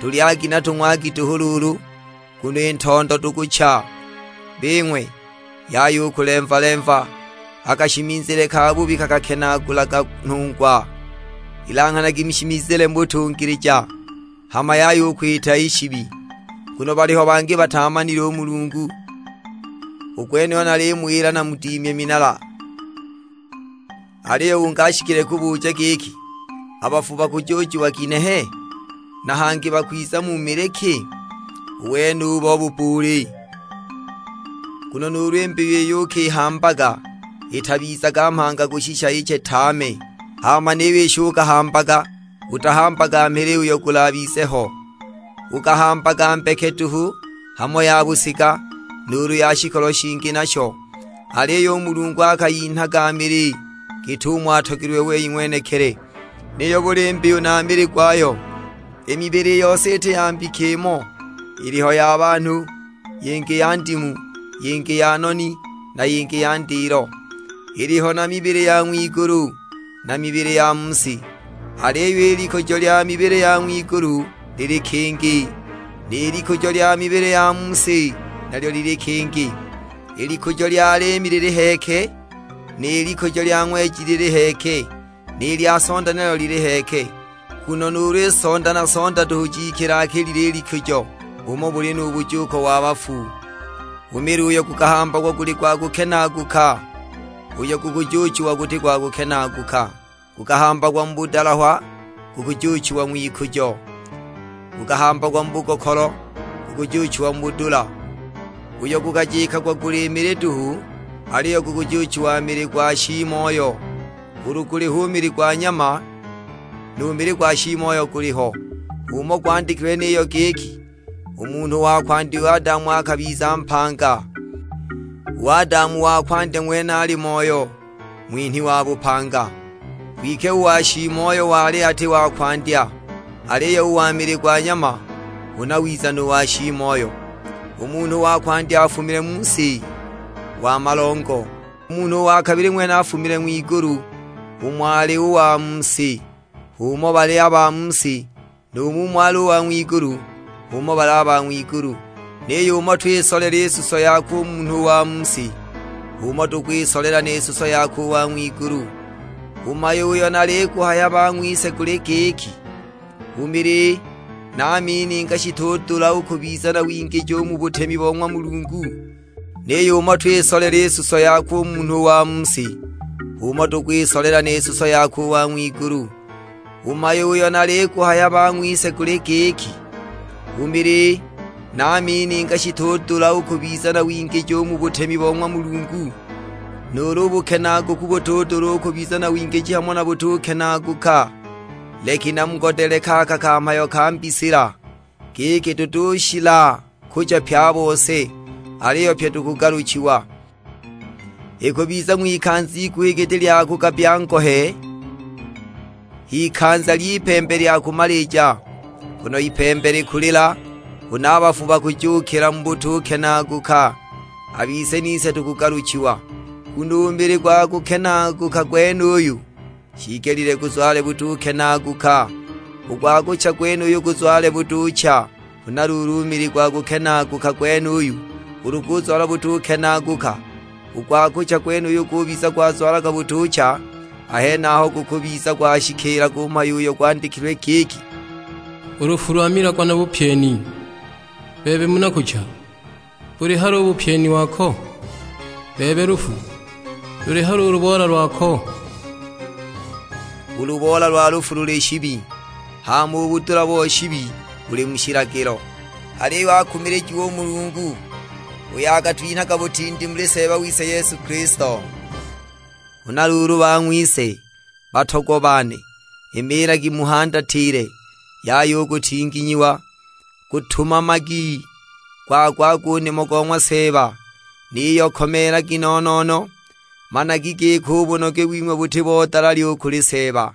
tulyagi na tung'wagi duhu luulu, nguno i ntondo tukucha. Bing'we, yaya u kulemva-lemva, a kashimizile kabubi kakakenaagulaga nhungwa. Ilanghanagi mushimizile mu butungilija, hama yaya u kwita i shibi, nguno baliho bangi bataamanile u Mulungu. U gwenuyo nalimuwila namudimye minala. Aliyo ungi ashikile kubuja giki, "A bafu bakujuuchiwa ginehe? Na hangi bakwiza mu mili ki?" U wenubo bubbuuli. Nguno nuulu i mbiyu iyo ukihambaga itabizaga mhanga kushisha iche tame, hama niyo isho ukahambaga, utahambaga mhili uyo gulabize ho. Ukahambaga mbeke duhu, hamo ya busiga, nuulu ya shikolo shingi nasho. Aliyo u Mulungu akayinhaga mili git'umo atogilwe wei ng'wenekili. Niyo buli mbiyu na mili gwayo. I mibili yose iti ya mbika imo, iliho ya banhu, yingi ya ndimu, yingi ya noni, na yingi ya ndilo. Iliho na mibili ya ng'wigulu, na mibili ya mu si. Aliyo i likujo lya mibili ya ng'wigulu lili kingi, ni likujo lya mibili ya mu si nalyo lili kingi. I likujo lya liimi lili heke, ni likujo lya ng'weji lili heke, ni lya sonda nalyo lili heke. Nguno nuulu i sonda na sonda duhu jikilakilile i likujo, umo buli nu bujuuko wa bafu. U mili uyo gukahambagwa guli gwa kukenaaguka, uyo gukujuuchiwa guti gwa kukenaaguka. Gukahambagwa mu budalahwa, gukujuuchiwa ng'wikujo. Gukahambagwa mu bugokolo, gukujuuchiwa mu budula. Uyo gukajikagwa guli mili duhu, aliyo gukujuuchiwa mili gwa shiimoyo. Ulu guliho u mili gwa nyama, nu mili gwa shiimoyo guliho. H'umo gwandikilwe niyo giki, "U munhu wa kwandya u Adamu akabiza mpanga." U Adamu wa kwandya ng'wene ali moyo, ng'winhi wa bupanga. Kwike u wa shiimoyo wali ati wa kwandya, aliyo u wa mili gwa nyama, huna wiza nu wa shiimoyo. U munhu wa kwandya afumile mu si, wa malongo. U munhu wa kabili ng'wene afumile ng'wigulu, umo ali u wa mu si. H'umo bali a ba mu si, nu mumo ali u wa ng'wigulu, h'umo bali a ba ng'wigulu. Niyo umo twisolela i suso yakwe u munhu wa mu si, h'umo tukwisolela ni suso yakwe u wa ng'wigulu. U mhayo uyo naliguhaya bang'wise guli giki, u mili na a mininga shitudula u kubiza na wingiji u mu butemi bo ng'wa Mulungu. Niyo umo twisolela i suso yakwe u munhu wa mu si, h'umo tukwisolela ni suso yakwe u wa ng'wigulu. U mhayo uyo naliguhaya bang'wise guli giki, u mili na a mininga shitudula u kubiza na wingiji u mu butemi bo ng'wa Mulungu, nuulu u bukenaaguku butudula u kubiza na wingiji hamo na butukenaaguka. Leki namugodeleke aka ka mhayo ka mbisila, giki tutushila kuja pye a bose, aliyo pye tukugaluchiwa. Ikubiza ng'wikanza iguhi giti lya kugabya ngohe, ikanza ly'ipembe lya kumalija, nguno ipembe likulila, huna a bafu bakujuukila mu butukenaaguka, a bise nise tukugaluchiwa. Nguno u mili gwa kukenaaguka gwenuyu shiigelile guzwale butukenaaguka, u gwa kucha gwenuyu guzwale butucha. Huna luulu u mili gwa kukenaaguka gwenuyu ulu guzwala butukenaaguka, u gwa kucha gwenuyu gubiza gwazwalaga butucha, a henaho gukubiza gwashikiilaga u mhayo uyo gwandikilwe giki, "U lufu lwamilagwa na bupyeni, bebe mu na kucha, buli hali u bupyeni wako? Bebe lufu, luli hali u luboola lwako?" U luboola lwa lufu luli shibi, hama u budula bo shibi buli mu shilagilo. Aliyo akumilijiwe u Mulungu, uyo akatwinhaga butindi muli Seeba wise Yesu Kilisto. Huna luulu bang'wise, batogwa bane, imiilagi muhandatile, yaya u kutinginyiwa, gutumamagi, gwagwagi u nimo go ng'wa Seeba, niyo komeelagi no-no-no, managi giki u bunoge wing'we buti bo dalali u kuli Seeba.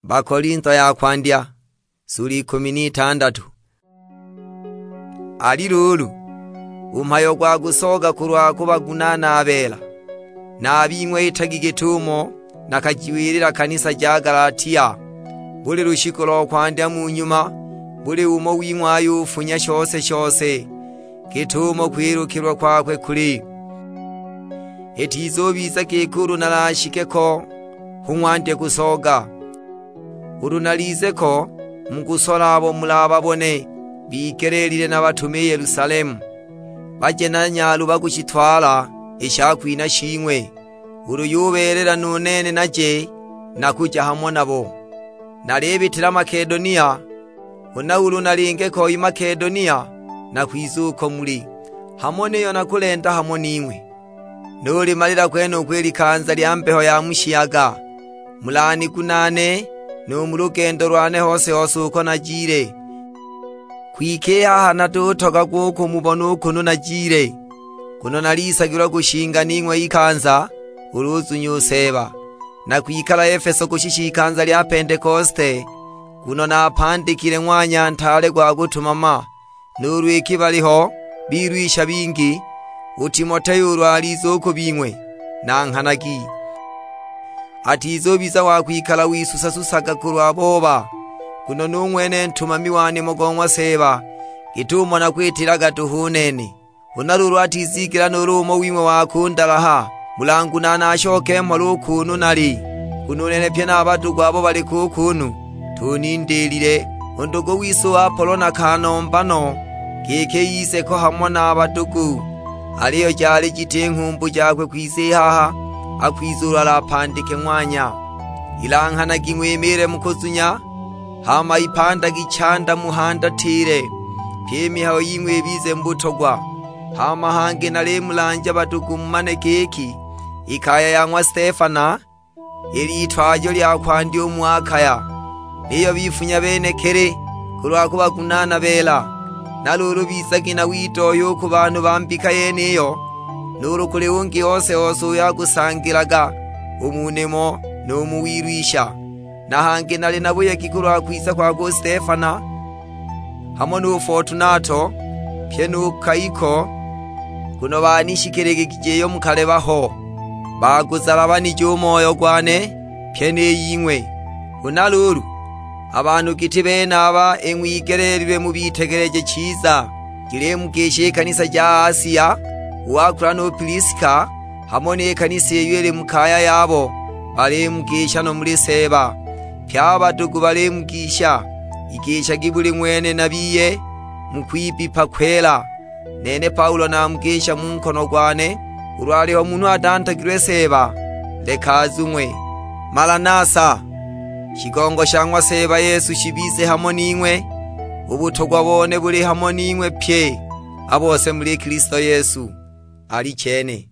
Bakolinto ya kwandya, sula ikumi n'itandatu. Ali luulu, u mhayo gwa kusoga kulwa kubagunaana a beela, na a bing'we itagi git'umo nakajiwilila kanisa ja Galatia, buli lushiku lo kwandya mu nyuma, buli umo wing'we ayufunya shose-shose, git'umo kwilukilwa kwakwe kuli. Itizubiza giki ulu nalashike ko, hu ng'wandye kusoga. Ulu nalize ko, mukusola abo mulababone bigeleelile nabatume i Yelusalemu, baje na nyaluba kushitwala i shakwinha shing'we. Ulu yubeelela nu nene naje, nakuja hamo nabo. Nalibitila Makedonia, Huna ulu nalinge ko i Makedonia, nakwiza uko muli, hamo niyo nakulenda hamo ning'we. Nulimalila kwenuko i likanza lya mbeho ya mu shiyaga, mulanigunaane nu mu lugendo lwane hose-hose uko najile. Kwike i haha natutogagwa u kumubona u kunu najile, nguno nalisagilwa kushinga ning'we ikanza, ulu uzunya u Seeba. Nakwikala Efeso kushisha ikanza lya Pentekoste, nguno napandikile ng'wanya ntaale gwa kutumama. Nuulu iki baliho bilwisha bingi, u Timoteo ulu aliza u ku bing'we, nanghanagi. Atizubiza wa kwikala wisusa-susaga kulwa booba, nguno nu ng'wene ntumami wa nimo go ng'wa Seeba, git'umo nakwitilaga duhu u nene. Huna luulu atizigela nuulu umo wing'we wa kundalaha, mulangunaane ashoke mhola u kunu nali, nguno u nene pye na a badugu abo bali kuukunu tunindilile. U ndugu wise u Apolo nakanomba no giki ize ko hamo na a badugu, aliyo jali jiti nghumbu jakwe kwiza i haha, akwiza ulu alapandike ng'wanya. Ilanghanagi ng'wimiile mu kuzunya, hama ipandagi chanda muhandatile, pyi i mihayo ying'we ibize mu butogwa. Hama hangi nalimulanja badugu mumane giki, i kaya ya ng'wa Stefana ili itwajo lya kwandya u mu Akaya, niyo bifunya benekili kulwa kubagunaana beela. Na luulu bizagi na widohya u ku banhu ba mbika yeniyo, nuulu kuli ungi ose-ose uyo akusangilaga u mu nimo nu mu wilwisha. Na hangi nali na buyegi kulwa kwiza kwakwe u Stefana, hamo nu Fotunato, pyi nu Kaiko, nguno baanishikililigije iyo mukaleba ho, baguzalabanije u moyo gwane, pyi ni ying'we. Huna luulu, a banhu giti benaba ing'wigeleelilwe mubitegeleje chiza. Jilimugisha i kanisa ja Asia, u Akula nu Piliska, hamo ni kanisa iyo ili mu kaya yabo, balimugisha no muli Seeba. Pye a badugu balimugisha. Igishagi buli ng'wene na biye mu kwibipa kwela. Nene Paulo namugisha mu nkono gwane, ulu aliho munhu atantogilwe Seeba, leka azung'we. Malanasa! Shigongo sha ng'wa Seeba Yesu shibize hamo ning'we. U butogwa bone buli hamo ning'we pye a bose muli Kilisto Yesu. Alichene.